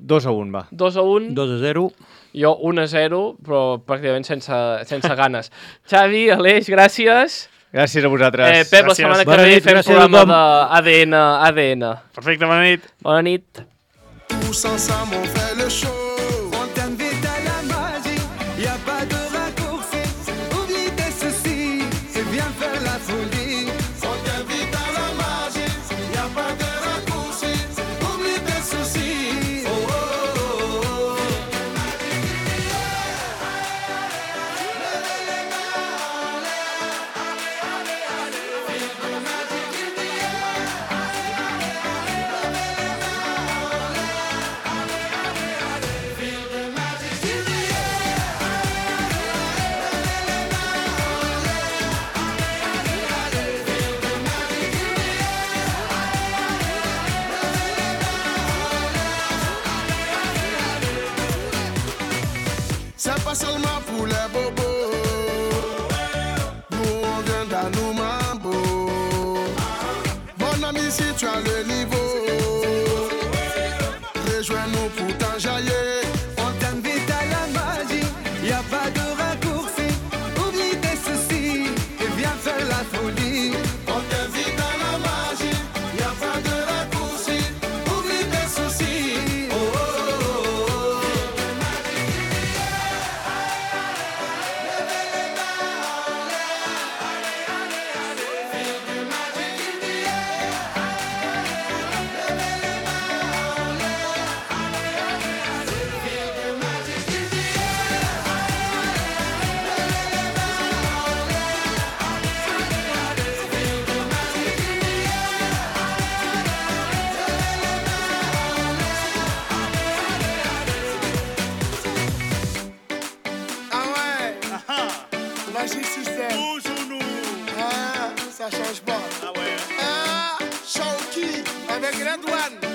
dos a un, va. dos a un, dos a zero. jo un a zero, però pràcticament sense, sense ganes. Xavi, Aleix, gràcies. Gràcies a vosaltres. Eh, Pep, la Gràcies. setmana que Bona ve nit, fem gràcies a programa tothom. d'A D N. A D N. Perfecte, bona nit. Bona nit. Tous ensemble on fait le show. On t'invite à la magie, y a pas de raccourci. Oublie tes soucis et viens faire la folie. On t'invite à la magie, y a pas de raccourci. Oublie tes soucis. Oh, oh, oh, oh. C'est pas seulement pour les bobos. Nous on vient d'Anou Mambo. Mon ami, si tu as le niveau, rejoins-nous pour t'enjailler. On t'invite à la magie, y a pas de raccourci. Oublie tes soucis et viens faire la folie. On t'invite à la magie, y a pas de raccourci. Oublie tes soucis. Oh, oh, oh, oh. Ah ouais, Magic System. Toujours nous. Ah, ça change pas. Ah ouais. Ah, Shawky avec Red One.